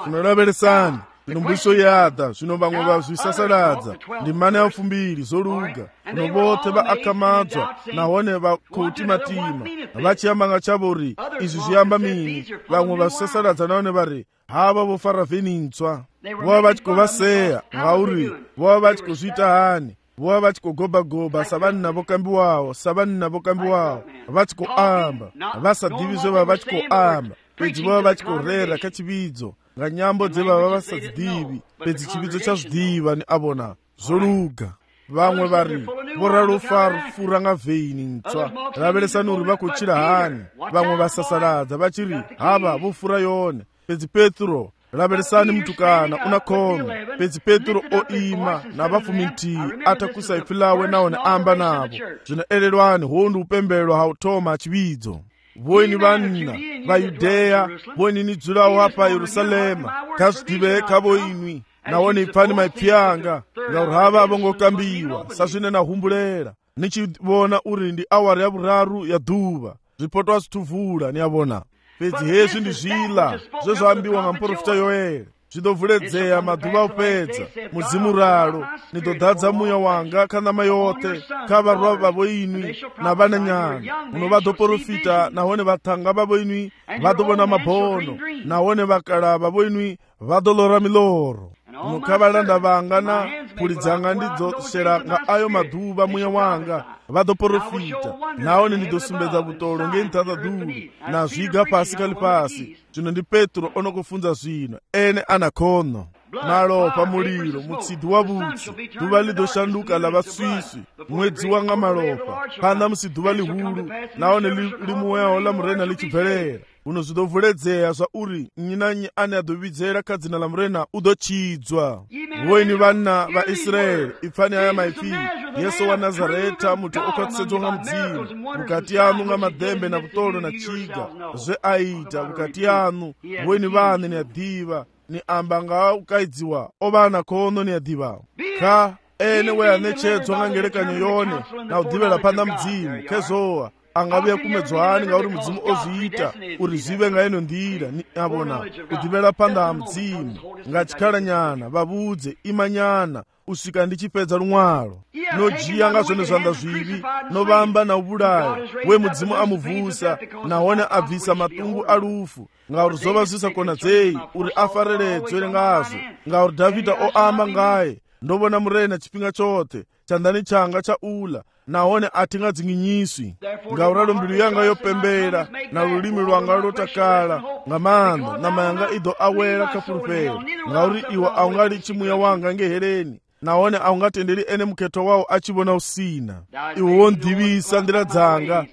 Zvinoraveresani inombuso yada zvino vamwe vazvisasaladza ndi mane apfumbiri zoluga uno vote vaakamadzwa nahone vakutimatima vachiyamba nga chavo ri izvi zviyamba mini vamwe vazvisasaladza nahone vari hava vofara venintswa vova vachikovaseya ngauri vova vachikozviita hani vova vachikogobagoba savanhu navokambiwawo savanhu navokambiwawo vachikoamba vasadivi zvevava vachikoamba pedzi vova vachikorera kachividzo nga nyambo dzevava vasadzidivi pedzi chividzo chazvidiva ni avona zoluga. Vamwe vari voralofara nga vheini ntswa raveresani uri vakuchira hani vamwe vasasaladza vachiri hava vofura yone pedzi Petro raveresani mutukana una khome pedzi Petro oima na vafumi ntii atakusaifilawe naone amba navo zvino elelwani hondu upembelwa hautoma achividzo. Voini vanna vayudeya voini nidzulawo apa Yerusalema kazvidive kavoinwi naone ipfani maipyanga ngauri hava avongokambiwa sazvine nahumbulera nichivona uri ndi awari yavuraru ya dhuva zvipotwa zvituvula niyavona pedzi hezvi ndi zvila zvezvaambiwa nga muprofita Yoeli zvidovhuledzeya madhuva opedza mudzimu ralo nidodhadza muya wanga kanama yote kavarwa vavo inwi na vananyana muno vadoprofita nahone vatanga vavo inwi vadovona mabono nahone vakala vavo inwi vadolora miloro muno kavalanda vanga na phuli dzanga ndidzosera nga ayo madhuva muya wanga vadoprofita nahone ndidosumbedza vutolo ngentata dulu na zviga pasi kali pasi. Zvino ndi Petro onokufunza zvino ene anakhono malopa muliro mutsidhi wa vutsi dhuva lidoshanduka la vaswisi mwedzi wanga malopa panda musidhuva lihulu naone limuwewo la murena lichibvelera uno zvidovhuledzera zva uri nyinanyi ane adovidzera kadzina la murena udochidzwa. Voini vanna vaIsraeli ipfani aya maifi Yesu wa Nazareta muti okatsedzwa nga mdzimu mukati yanu nga madhembe na kutolo na chiga zve aita mukati yanu voini vane ni adiva ni amba nga ukaidziwa ovana khono ni adiva ka ene we anechedzwa nga ngelekanyo yone na udivela panda mdzimu kezowa angabuya kumedzwani ngauri mudzimu ozviita uri zive nga ino ndira ni avona udivela panda mdzimu ngachikhala nyana vavudze imanyana usvika ndichipedza lumwalo nojiya nga zvone zvanda zvivi novamba na ubulayo we mudzimu amuvhusa nahone abvisa matungu alufu ngauri zova zvisakonadzei uri afareredzwe ngazvo ngauri Dhavhidha oamba ngaye ndovona murena chipinga chote chandani changa chaula nahone atingadzinginyiswi ngauralo mbilu yanga yopembera na lulimi lwanga lotakala nga manda na mayanga ido awela kapulupero ngauri iwa aungali chimuya wanga ngehereni nahone aungatenderi ene muketo wawo achivona usina. Iwo wondivisa ndira dzanga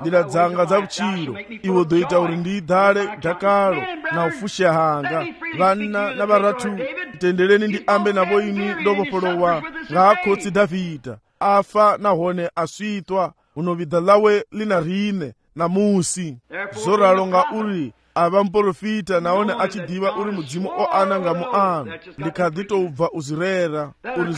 ndira dzanga za uchiro iwo doita uri ndidhale dhakalo na ufushe hanga vanna na varatu tendereni ndi ambe navo ini ndovopolowa ngakhotsi Dhavhidha afa nahone asvitwa unovidha lawe lina rine na musi zoralo nga uri ava mporofita naone achidiva uri mudzimu oananga muano ndikadhitobva uzirera uri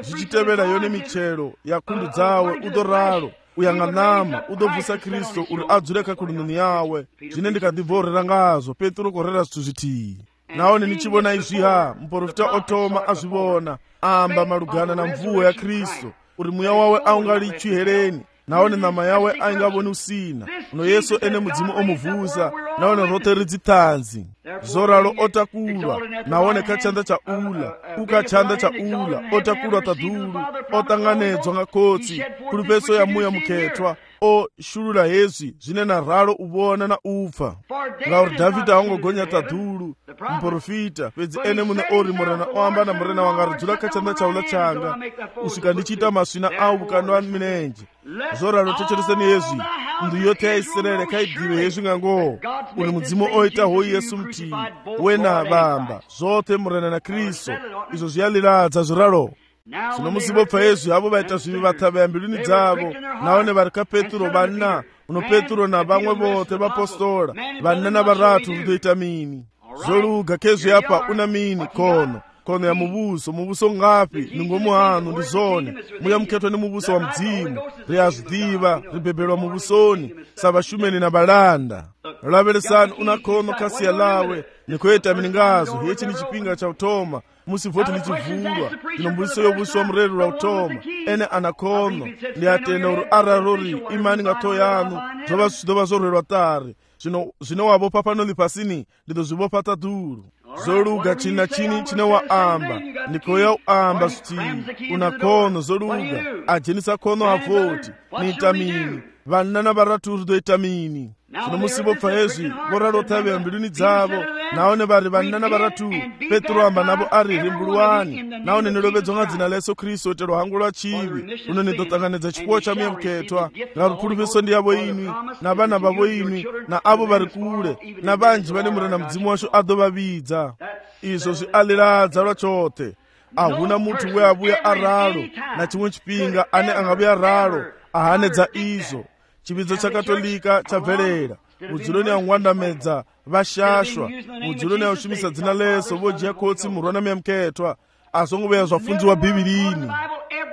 zvichitevera yone michero yakundu dzawe udoraro uyang'anama udobvusa Kristu uri adzureka kulununi yawe zvine ndikadhibvorera ngazvo Petro korera zvithu zvitiyi naone nichivona izviha muprofita otoma azvivona amba malugana na mvuwo ya Kristu uri mweya wawe aungalichwi hereni naone nama yawe aingavoni usina uno Yesu ene mudzimu omuvhusa naone rote ridzitanzi zoralo otakulwa naone kachanda cha ula ukachanda cha ula otakulwa tadhulu otanganedzwa ngakotsi kuri peso ya muya muketwa o shulula hezvi zvine na ralo uvona na upfa ngauri Dhavhidhi aungogonya tadhulu muprofita pedzi ene mune ori murena oamba na murena wanga ridzula kachanda chaula changa usvika ndichiita masvina au vukano minenje zoralo tochereseni hezvi ndu yote yaIsraeri kaidive hezvi ngangoho uri mudzimu oita hoyi Yesu mtii wena vamba zvote murena na Kristu izvo zviyaliradza zviralo zvino musibopfa hezvi avo vaita zvivi vatavaya mbiluni dzavo naone vari kaPetro vanna uno Petro na vamwe vote vapostola vanna na varatu vitoita mini zoluga kezvi apa una mini kono ya muvuso ngapi ningomuhanu ndizone muya muketwa ni muvuso wa mdzimu riyazvidiva ribebelwa muvusoni savashumeni na balanda laveresani una kono kasiya lawe nikoyeta miningazo hechi ni chipinga cha utoma musivoti lichivulwa ino mbuso yovuso wa mreru la utoma ene anakono ndi atenda uri ararori imani ngato yanu zova zvidova zorwerwa tare zvino wavopa panoli pasini ndido zvivopa tadhuru zoluga china chini chine waamba ndikoya uamba zvitivi una kono zoluga ajenisa kono avoti niitamini vanna na varaturi doitamini zvino musibopfa hezvi voralotavira mbiluni dzavo naone vari vanna na varatu Petro amba navo ari rimbuluwani naone nilovedzwa ngadzina la Yesu Kristu otero hangu lwa chivi uno nidotanganedza chipuwo cha muya muketwa ngarukulu peso ndi yavo inwi na vana vavo inwi na avo vari kule na vanji vane murena mudzimu washo adovavidza izvo zvialiradza lwachote ahuna munthu weavuya aralo na chimwe chipinga ane angavuya ralo ahanedza izvo chividzo cha katolika chabverera udzuloni aungwandamedza vashashwa udzuloni aushumisa dzina leso vojiya kotsi murwa na muya muketwa azongoveya zvafunziwa bhibhilini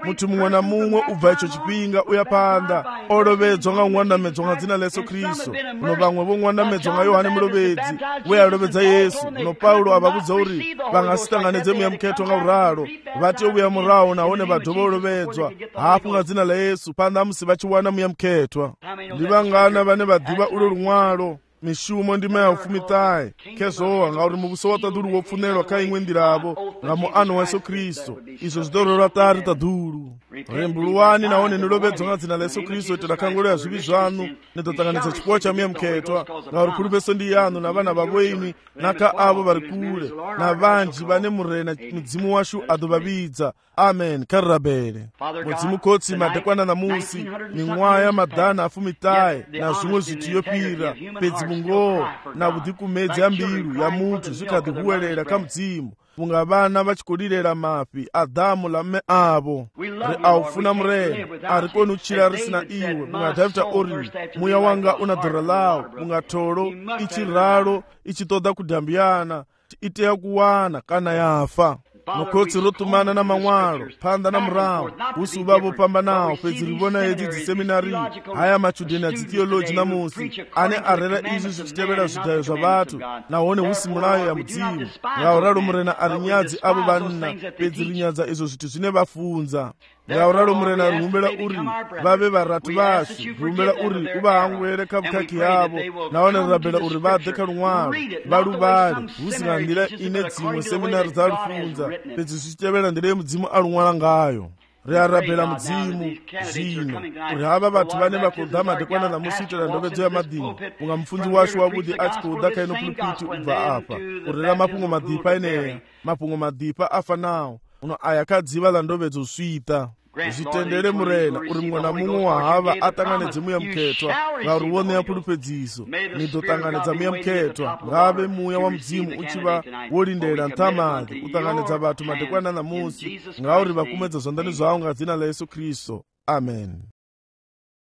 munthu mumwe na mumwe ubva icho chipinga uya panda olovedzwa nga ungwandamedzwa nga dzina la Yesu Kristu uno vamwe vongwandamedzwa nga Yohane Mulovedzi weya alovedza Yesu uno Paulo avavudza uri vangasitanganedze muya muketwa nga uralo vati ovuya murawo naone vadhova olovedzwa hafu nga dzina la Yesu panda musi vachiwana muya muketwa ndi vangana vane vadhiva ulo lumwalo mishumo ndima ya ufumitaye kezowa ngauri muvuso wa tadhulu wopfunelwa ka imwe ndiravo nga muano wa Yesu Kristu izvo zvidorora tari tadhulu rimbuluwani naone nilovedzwa nga dzina la Yesu Kristu iti dakangoloya zvivi zvanu nidotanganidza chipuwo cha muya muketwa ngauri kuli peso ndi yanu na vana vavo imwi naka avo vari kule na vanji vane murena mudzimu washu adovavidza amen karirabere mudzimu kotsi madekwana na musi ming'waya madhana afumitaye na zvimwe zvitiyopira pedzi mungoho na vudhikumedzi ya mbilu ya munthu zvikadhihuwelela ka mudzimu punga vana vachikolirera mapi Adamu la mme avo ri aufuna murena ari koni uchira risina iwe punga Dhavhidhi ori muya wanga una dhora lawo punga tholo ichiralo ichitoda kudhambiyana iteya kuwana kana yafa mukotsi rotumana na man'walo phanda na murawo usi uvavo pambanawo pedzi rivona hedzi dziseminari haya machudheni a dzithiyoloji namusi ane arera izvi zvichitevera zvidhayo zva vathu nahone husi mulayo ya mudzimu ngauralo murena ari nyadzi avo vanna pedzi rinyadza izvo zvithu zvine vafunza ngauralo murena rihumbela uri vave varatu vashu rihumbela uri uvahangwere ka vukhaki yavo nahone rirabela uri vadhe ka lun'walo valuvale husi nga ndila ine dzimwe seminari dza lufunza pedzi zvichitevera ndila yemudzimu alun'wala ngayo riarabhela mudzimu zvino uri hava vathu vane vakodha madekwana namusi itela ndovedzo ya madini unga mufundzi washu wavudi achikodha kaino pulpiti ubva apa urira mapungo madhipa eneya mapungo madhipa afa nawo uno aya kadziva la ndovedzo swita zvitendere murena uri mumwe na mumwe wahava atanganedze muya muketwa ngauri woneya pulupedziso nidotanganedza muya muketwa ngave muya wa mudzimu uchiva wolindela nthamake utanganedza vathu madekwana namusi ngauri vakumedza zvandani zvavo nga dzina la Yesu Kristu amen.